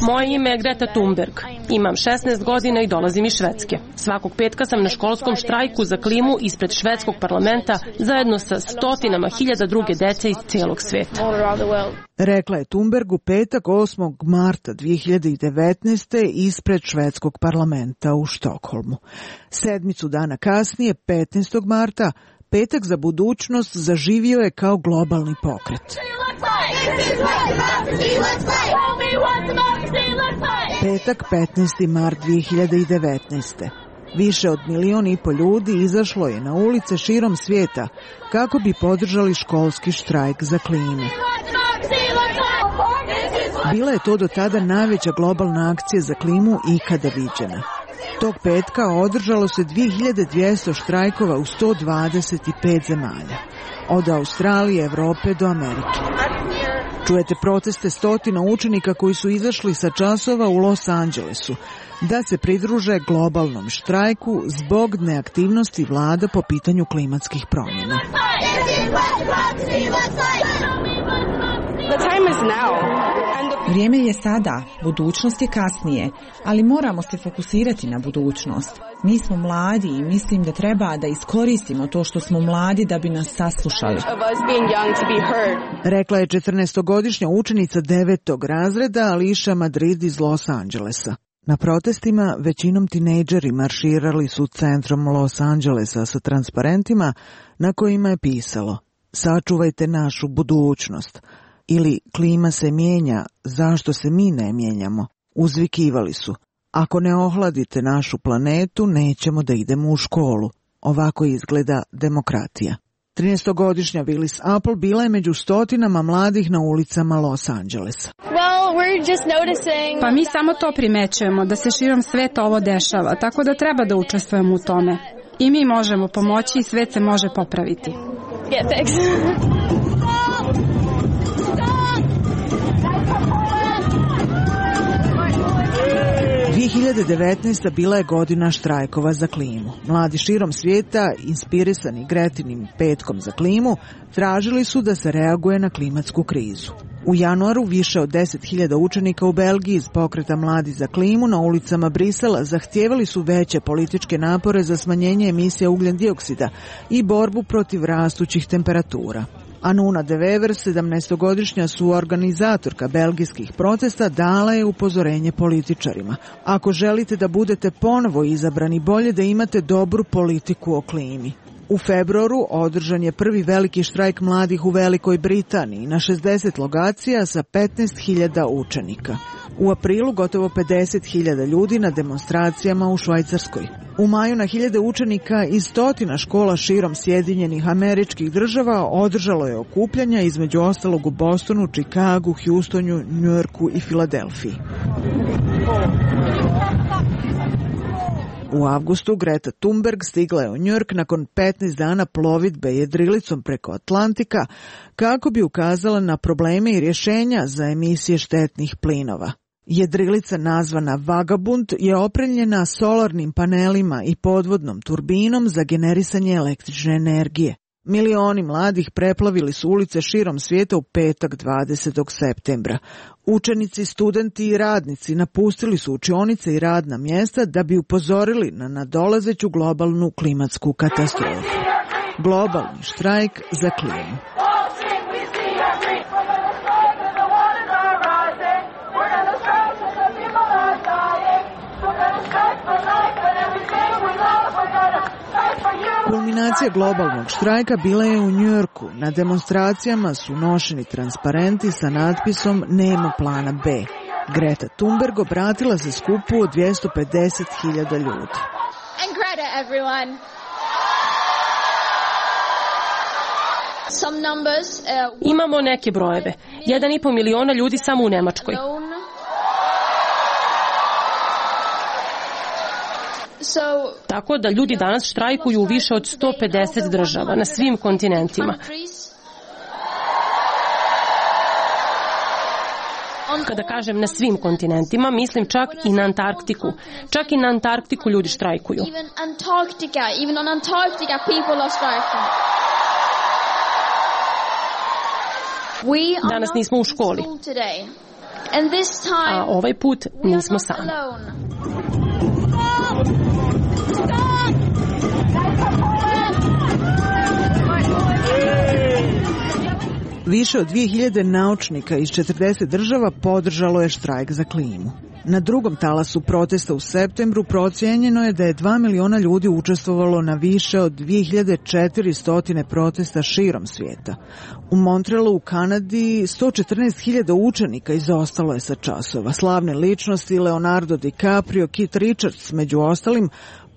Moje ime je Greta Thunberg. Imam 16 godina i dolazim iz Švedske. Svakog petka sam na školskom štrajku za klimu ispred švedskog parlamenta zajedno sa stotinama hiljada druge dece iz cijelog svijeta.
Rekla je Thunberg u petak 8. marta 2019. ispred švedskog parlamenta u Štokholmu. Sedmicu dana kasnije, 15. marta, Petak za budućnost zaživio je kao globalni pokret. Petak 15. mart 2019. Više od 1,5 milijuna ljudi izašlo je na ulice širom svijeta kako bi podržali školski štrajk za klimu. Bila je to do tada najveća globalna akcija za klimu ikada viđena. Tog petka održalo se 2200 štrajkova u 125 zemalja, od Australije, Evrope do Amerike. Čujete proteste stotina učenika koji su izašli sa časova u Los Angelesu da se pridruže globalnom štrajku zbog neaktivnosti vlada po pitanju klimatskih promjena.
Vrijeme je sada, budućnost je kasnije, ali moramo se fokusirati na budućnost. Mi smo mladi i mislim da treba da iskoristimo to što smo mladi da bi nas saslušali.
Rekla je 14-godišnja učenica 9. razreda Alicia Madrid iz Los Angelesa. Na protestima većinom tinejdžeri marširali su centrom Los Angelesa sa transparentima na kojima je pisalo: "Sačuvajte našu budućnost" ili "Klima se mijenja, zašto se mi ne mijenjamo?" Uzvikivali su: "Ako ne ohladite našu planetu, nećemo da idemo u školu." Ovako izgleda demokratija. 13-godišnja Willis Apple bila je među stotinama mladih na ulicama Los Angelesa.
Pa mi samo to primećujemo, da se širom sveta ovo dešava, tako da treba da učestvujemo u tome. I mi možemo pomoći i svet se može popraviti.
2019. bila je godina štrajkova za klimu. Mladi širom svijeta, inspirisani Gretinim petkom za klimu, tražili su da se reaguje na klimatsku krizu. U januaru više od 10.000 učenika u Belgiji iz pokreta Mladi za klimu na ulicama Brisela zahtijevali su veće političke napore za smanjenje emisija ugljen dioksida i borbu protiv rastućih temperatura. Anuna de Wever, 17-godišnja suorganizatorka belgijskih protesta, dala je upozorenje političarima: "Ako želite da budete ponovo izabrani, bolje da imate dobru politiku o klimi." U februaru održan je prvi veliki štrajk mladih u Velikoj Britaniji na 60 lokacija sa 15.000 učenika. U aprilu gotovo 50.000 ljudi na demonstracijama u Švajcarskoj. U maju na hiljade učenika iz stotina škola širom Sjedinjenih Američkih Država održalo je okupljanja, između ostalog u Bostonu, Čikagu, Houstonu, Njujorku i Filadelfiji. U avgustu Greta Thunberg stigla je u Njujork nakon 15 dana plovidbe jedrilicom preko Atlantika kako bi ukazala na probleme i rješenja za emisije štetnih plinova. Jedrilica nazvana Vagabund je opremljena solarnim panelima i podvodnom turbinom za generisanje električne energije. Milioni mladih preplavili su ulice širom svijeta u petak 20. septembra. Učenici, studenti i radnici napustili su učionice i radna mjesta da bi upozorili na nadolazeću globalnu klimatsku katastrofu. Globalni štrajk za klimu. Kulminacija globalnog štrajka bila je u Njujorku. Na demonstracijama su nošeni transparenti sa natpisom "Nema plana B". Greta Thunberg obratila se skupu od 250.000 ljudi.
And Greta, everyone.
Imamo neke brojeve. 1,5 miliona ljudi samo u Nemačkoj. Tako da ljudi danas štrajkuju u više od 150 država na svim kontinentima. Kada kažem na svim kontinentima, mislim čak i na Antarktiku. Čak i na Antarktiku ljudi štrajkuju. Danas nismo u školi. A ovaj put nismo sami.
Više od 2000 naučnika iz 40 država podržalo je štrajk za klimu. Na drugom talasu protesta u septembru procijenjeno je da je 2 miliona ljudi učestvovalo na više od 2400 protesta širom svijeta. U Montrealu u Kanadi 114.000 učenika izostalo je sa časova. Slavne ličnosti Leonardo DiCaprio, Keith Richards među ostalim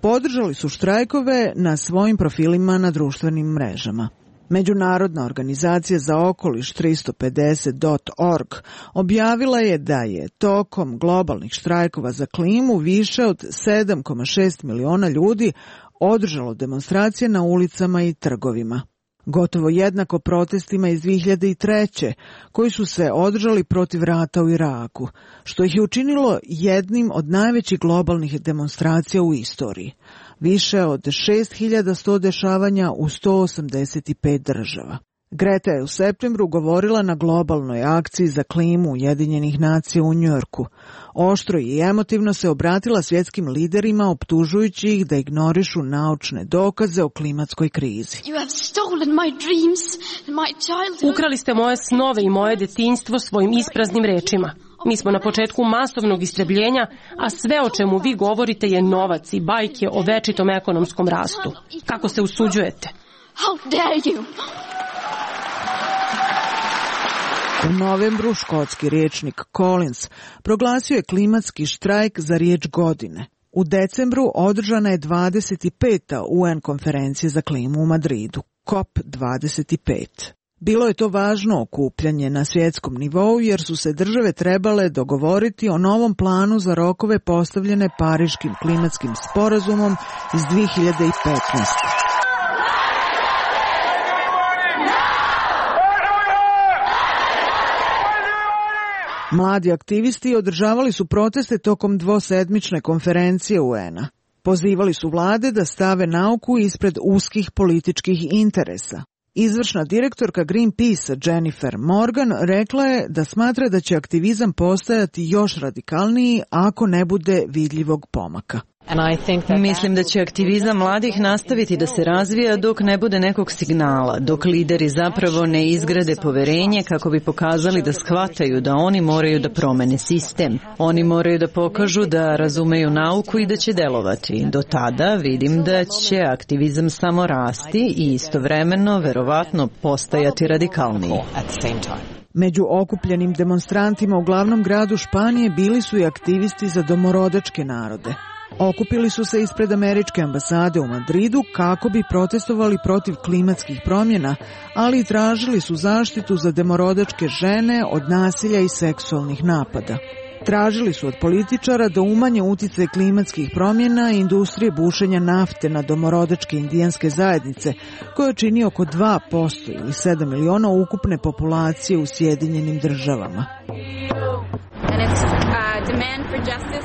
podržali su štrajkove na svojim profilima na društvenim mrežama. Međunarodna organizacija za okoliš 350.org objavila je da je tokom globalnih štrajkova za klimu više od 7,6 miliona ljudi održalo demonstracije na ulicama i trgovima. Gotovo jednako protestima iz 2003. koji su se održali protiv rata u Iraku, što ih je učinilo jednim od najvećih globalnih demonstracija u istoriji. Više od 6100 dešavanja u 185 država. Greta je u septembru govorila na globalnoj akciji za klimu Ujedinjenih nacija u Njujorku. Oštro i emotivno se obratila svjetskim liderima optužujući ih da ignorišu naučne dokaze o klimatskoj krizi.
Ukrali ste moje snove i moje detinjstvo svojim ispraznim rečima. Mi smo na početku masovnog istrebljenja, a sve o čemu vi govorite je novac i bajke o večitom ekonomskom rastu. Kako se usuđujete?
U novembru škotski rječnik Collins proglasio je klimatski štrajk za riječ godine. U decembru održana je 25. UN konferencija za klimu u Madridu, COP25. Bilo je to važno okupljanje na svjetskom nivou jer su se države trebale dogovoriti o novom planu za rokove postavljene Pariškim klimatskim sporazumom iz 2015. Mladi aktivisti održavali su proteste tokom dvosedmične konferencije UN-a. Pozivali su vlade da stave nauku ispred uskih političkih interesa. Izvršna direktorka Greenpeace Jennifer Morgan rekla je da smatra da će aktivizam postajati još radikalniji ako ne bude vidljivog pomaka.
Mislim da će aktivizam mladih nastaviti da se razvija dok ne bude nekog signala, dok lideri zapravo ne izgrade poverenje kako bi pokazali da shvataju da oni moraju da promene sistem. Oni moraju da pokažu da razumeju nauku i da će delovati. Do tada vidim da će aktivizam samo rasti i istovremeno verovatno postajati radikalniji.
Među okupljenim demonstrantima u glavnom gradu Španije bili su i aktivisti za domorodačke narode. Okupili su se ispred američke ambasade u Madridu kako bi protestovali protiv klimatskih promjena, ali i tražili su zaštitu za domorodačke žene od nasilja i seksualnih napada. Tražili su od političara da umanje utjecaj klimatskih promjena i industrije bušenja nafte na domorodačke indijanske zajednice, koje čini oko 2% ili 7 miliona ukupne populacije u Sjedinjenim državama.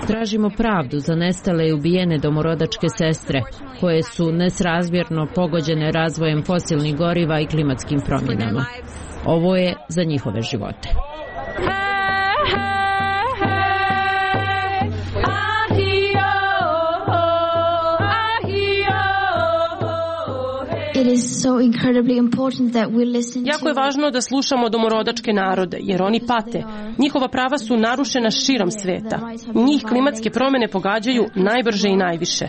Tražimo pravdu za nestale i ubijene domorodačke sestre, koje su nesrazmjerno pogođene razvojem fosilnih goriva i klimatskim promjenama. Ovo je za njihove živote.
Jako je važno da slušamo domorodačke narode, jer oni pate. Njihova prava su narušena širom sveta. Njih klimatske promjene pogađaju najbrže i najviše.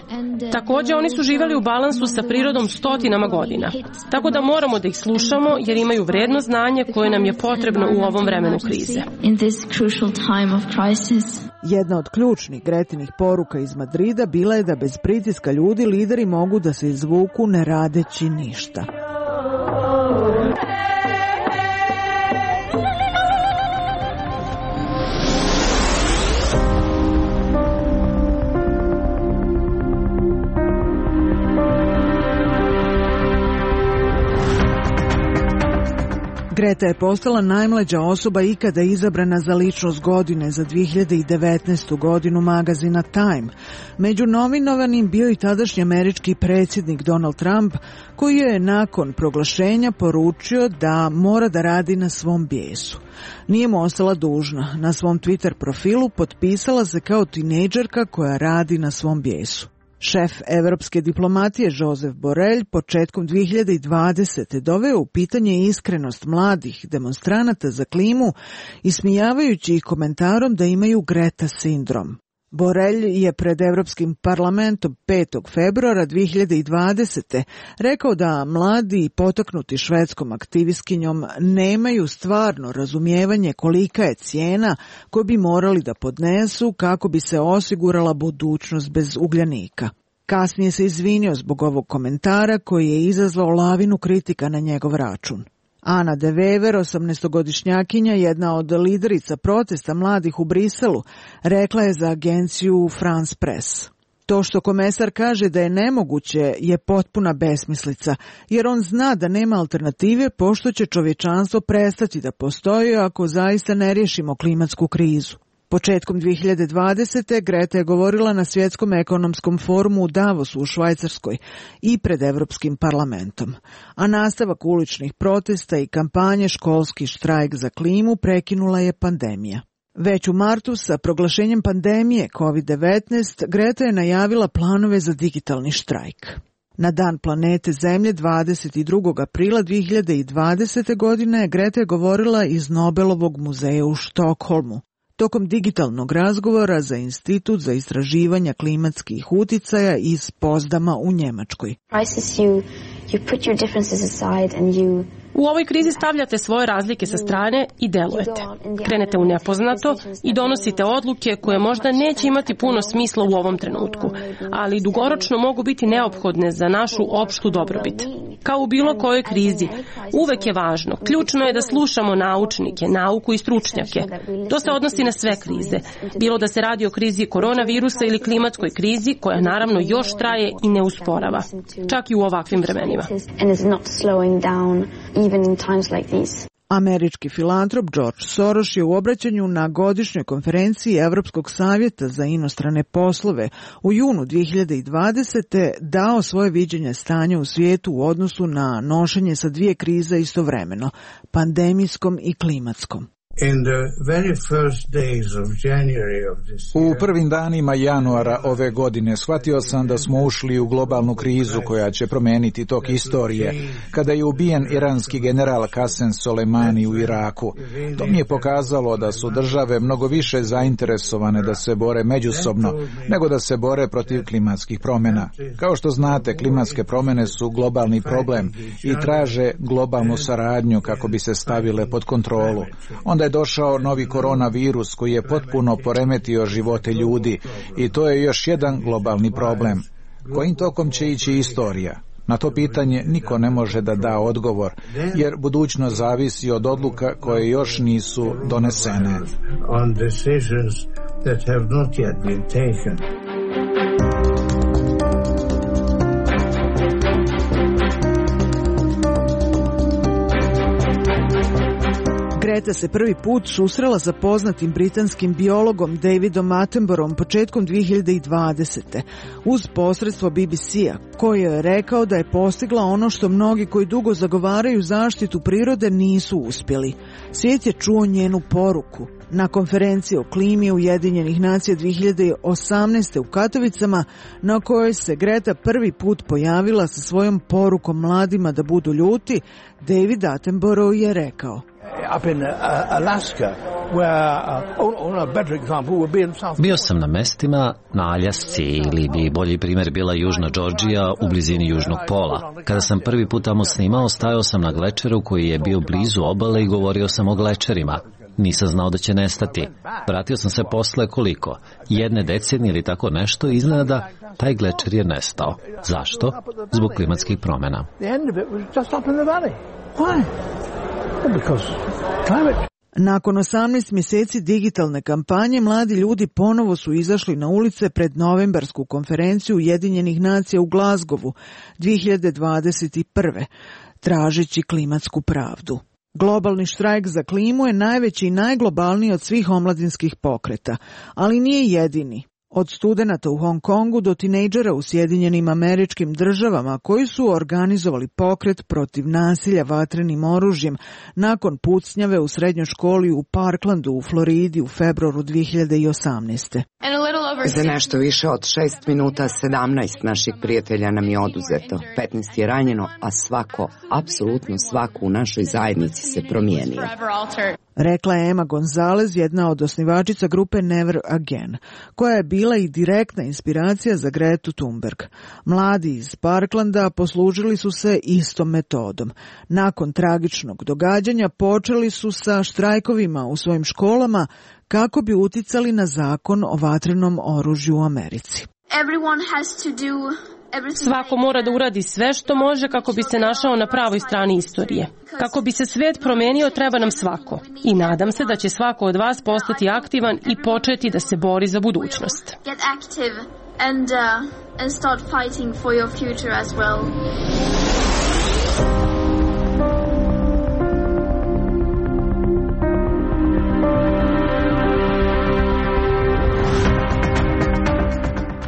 Također, oni su živjeli u balansu sa prirodom stotinama godina. Tako da moramo da ih slušamo, jer imaju vrijedno znanje koje nam je potrebno u ovom vremenu krize.
Jedna od ključnih Gretinih poruka iz Madrida bila je da bez pritiska ljudi lideri mogu da se izvuku ne radeći ništa. Greta je postala najmlađa osoba ikada izabrana za ličnost godine za 2019. godinu magazina Time. Među nominovanim bio i tadašnji američki predsjednik Donald Trump, koji je nakon proglašenja poručio da mora da radi na svom bijesu. Nije mu ostala dužna. Na svom Twitter profilu potpisala se kao tinejdžerka koja radi na svom bijesu. Šef evropske diplomatije Josep Borrell početkom 2020. doveo u pitanje iskrenost mladih demonstranata za klimu, ismijavajući ih komentarom da imaju Greta sindrom. Borrell je pred Evropskim parlamentom 5. februara 2020. rekao da mladi potaknuti švedskom aktivistkinjom nemaju stvarno razumijevanje kolika je cijena koju bi morali da podnesu kako bi se osigurala budućnost bez ugljanika. Kasnije se izvinio zbog ovog komentara koji je izazvao lavinu kritika na njegov račun. Ana de Wever, 18-godišnjakinja, jedna od liderica protesta mladih u Briselu, rekla je za agenciju France Press: "To što komesar kaže da je nemoguće je potpuna besmislica, jer on zna da nema alternative pošto će čovječanstvo prestati da postoji ako zaista ne riješimo klimatsku krizu." Početkom 2020. Greta je govorila na Svjetskom ekonomskom forumu u Davosu u Švajcarskoj i pred Evropskim parlamentom. A nastavak uličnih protesta i kampanje Školski štrajk za klimu prekinula je pandemija. Već u martu sa proglašenjem pandemije COVID-19 Greta je najavila planove za digitalni štrajk. Na Dan planete Zemlje 22. aprila 2020. godine Greta je govorila iz Nobelovog muzeja u Štokholmu. Tokom digitalnog razgovora za Institut za istraživanja klimatskih uticaja iz Pozdama u Njemačkoj.
U ovoj krizi stavljate svoje razlike sa strane i delujete. Krenete u nepoznato i donosite odluke koje možda neće imati puno smisla u ovom trenutku, ali dugoročno mogu biti neophodne za našu opštu dobrobit. Kao u bilo kojoj krizi, uvek je važno, ključno je da slušamo naučnike, nauku i stručnjake. To se odnosi na sve krize, bilo da se radi o krizi koronavirusa ili klimatskoj krizi, koja naravno još traje i ne usporava, čak i u ovakvim vremenima.
Američki filantrop George Soros je u obraćanju na godišnjoj konferenciji Evropskog savjeta za inostrane poslove u junu 2020. dao svoje viđenje stanja u svijetu u odnosu na nošenje sa dvije krize istovremeno, pandemijskom i klimatskom.
U prvim danima januara ove godine shvatio sam da smo ušli u globalnu krizu koja će promijeniti tok istorije, kada je ubijen iranski general Qasem Soleimani u Iraku. To mi je pokazalo da su države mnogo više zainteresovane da se bore međusobno nego da se bore protiv klimatskih promjena. Kao što znate, klimatske promjene su globalni problem i traže globalnu saradnju kako bi se stavile pod kontrolu. Onda je došao novi koronavirus koji je potpuno poremetio živote ljudi i to je još jedan globalni problem. Kojim tokom će ići istorija? Na to pitanje niko ne može da da odgovor, jer budućnost zavisi od odluka koje još nisu donesene.
Greta se prvi put susrela sa poznatim britanskim biologom Davidom Attenboroughom početkom 2020. uz posredstvo BBC-a, koji je rekao da je postigla ono što mnogi koji dugo zagovaraju zaštitu prirode nisu uspjeli. Svijet je čuo njenu poruku. Na konferenciji o klimi Ujedinjenih nacija 2018. u Katovicama, na kojoj se Greta prvi put pojavila sa svojom porukom mladima da budu ljuti, David Attenborough je rekao:
Bio sam na mestima na Aljasci, ili bi bolji primjer bila Južna Džordžija u blizini Južnog pola. Kada sam prvi put tamo snimao, stajao sam na glečeru koji je bio blizu obale i govorio sam o glečerima. Nisam znao da će nestati. Vratio sam se posle koliko? 1 decenije ili tako nešto, iznenada taj glečer je nestao. Zašto? Zbog klimatskih promjena.
Nakon 18 mjeseci digitalne kampanje, mladi ljudi ponovo su izašli na ulice pred novembarsku konferenciju Ujedinjenih nacija u Glasgowu 2021. tražeći klimatsku pravdu. Globalni štrajk za klimu je najveći i najglobalniji od svih omladinskih pokreta, ali nije jedini. Od studenata u Hong Kongu do tinejdžera u Sjedinjenim Američkim Državama koji su organizovali pokret protiv nasilja vatrenim oružjem nakon pucnjave u srednjoj školi u Parklandu u Floridi u februaru 2018.
Za nešto više od 6 minuta 17 naših prijatelja nam je oduzeto, 15 je ranjeno, a svako, apsolutno svako u našoj zajednici se promijenio.
Rekla je Emma Gonzalez, jedna od osnivačica grupe Never Again, koja je bila i direktna inspiracija za Gretu Thunberg. Mladi iz Parklanda poslužili su se istom metodom. Nakon tragičnog događanja počeli su sa štrajkovima u svojim školama kako bi uticali na zakon o vatrenom oružju u Americi.
Svako mora da uradi sve što može kako bi se našao na pravoj strani istorije. Kako bi se svet promenio, treba nam svako. I nadam se da će svako od vas postati aktivan i početi da se bori za budućnost.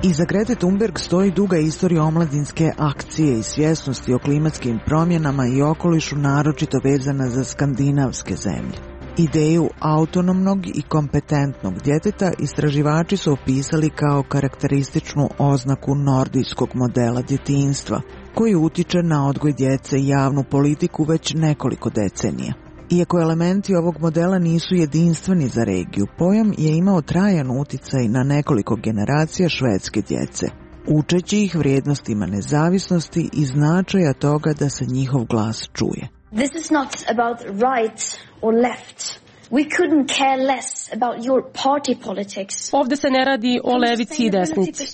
Iza Grete Thunberg stoji duga istorija omladinske akcije i svjesnosti o klimatskim promjenama i okolišu, naročito vezana za skandinavske zemlje. Ideju autonomnog i kompetentnog djeteta istraživači su opisali kao karakterističnu oznaku nordijskog modela djetinjstva, koji utiče na odgoj djece i javnu politiku već nekoliko decenija. Iako elementi ovog modela nisu jedinstveni za regiju, pojam je imao trajan uticaj na nekoliko generacija švedske djece, učeći ih vrijednostima nezavisnosti i značaja toga da se njihov glas čuje.
This is not about right or left. We couldn't care less about your party politics.
Ovde se ne radi o levici i desnici.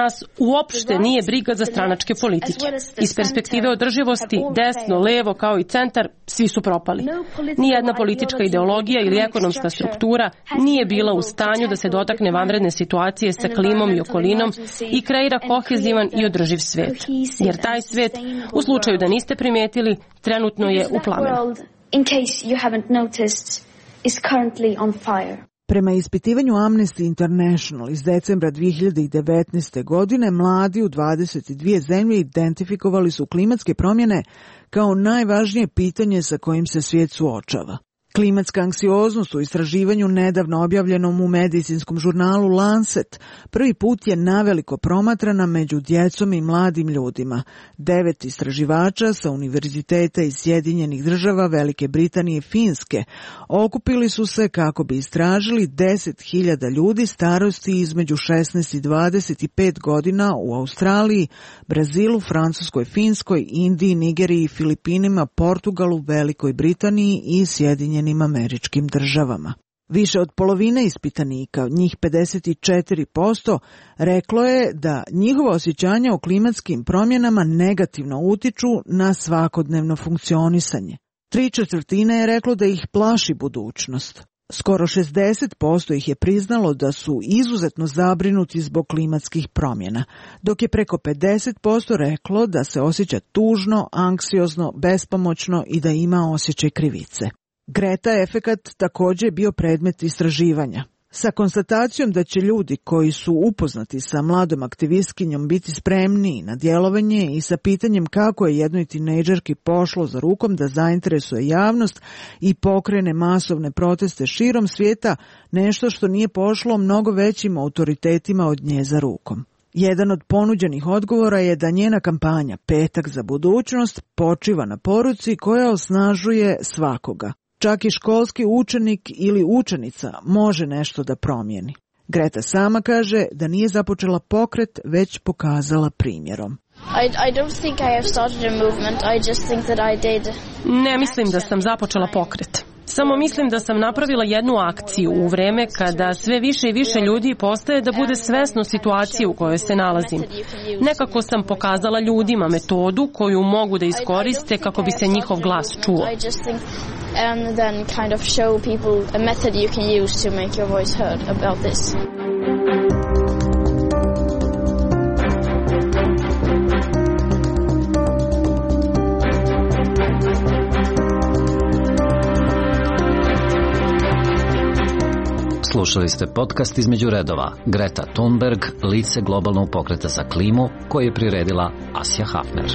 Nas uopšte nije briga za stranačke politike. Iz perspektive održivosti, desno, levo kao i centar, svi su propali. Nijedna politička ideologija ili ekonomska struktura nije bila u stanju da se dotakne vanredne situacije sa klimom i okolinom i kreira kohezivan i održiv svet. Jer taj svet, u slučaju da niste primetili, trenutno je u plamenu.
In case you haven't noticed, is currently on fire.
Prema ispitivanju Amnesty International iz decembra 2019. godine, mladi u 22 zemlje identifikovali su klimatske promjene kao najvažnije pitanje sa kojim se svijet suočava. Klimatska anksioznost u istraživanju nedavno objavljenom u medicinskom žurnalu Lancet prvi put je naveliko promatrana među djecom i mladim ljudima. 9 istraživača sa univerziteta iz Sjedinjenih Država, Velike Britanije i Finske okupili su se kako bi istražili 10.000 ljudi starosti između 16 i 25 godina u Australiji, Brazilu, Francuskoj, Finskoj, Indiji, Nigeriji i Filipinima, Portugalu, Velikoj Britaniji i Sjedinjenim Američkim Državama. Više od polovine ispitanika, njih 54%, reklo je da njihova osjećanja o klimatskim promjenama negativno utiču na svakodnevno funkcionisanje. 3/4 je reklo da ih plaši budućnost. Skoro 60% ih je priznalo da su izuzetno zabrinuti zbog klimatskih promjena, dok je preko 50% reklo da se osjeća tužno, anksiozno, bespomoćno i da ima osjećaj krivice. Greta efekat također je bio predmet istraživanja. Sa konstatacijom da će ljudi koji su upoznati sa mladom aktivistkinjom biti spremniji na djelovanje i sa pitanjem kako je jednoj tinejdžerki pošlo za rukom da zainteresuje javnost i pokrene masovne proteste širom svijeta, nešto što nije pošlo mnogo većim autoritetima od nje za rukom. Jedan od ponuđenih odgovora je da njena kampanja Petak za budućnost počiva na poruci koja osnažuje svakoga. Čak i školski učenik ili učenica može nešto da promijeni. Greta sama kaže da nije započela pokret, već pokazala primjerom.
Ne mislim da sam započela pokret. Samo mislim da sam napravila jednu akciju u vreme kada sve više i više ljudi postaje da bude svesno situacije u kojoj se nalazim. Nekako sam pokazala ljudima metodu koju mogu da iskoriste kako bi se njihov glas čuo.
And then kind of show people a method you can use to make your voice heard about this.
Slušali ste podcast Između redova. Greta Thunberg, lice globalnog pokreta za klimu, koji je priredila Asja Hafner.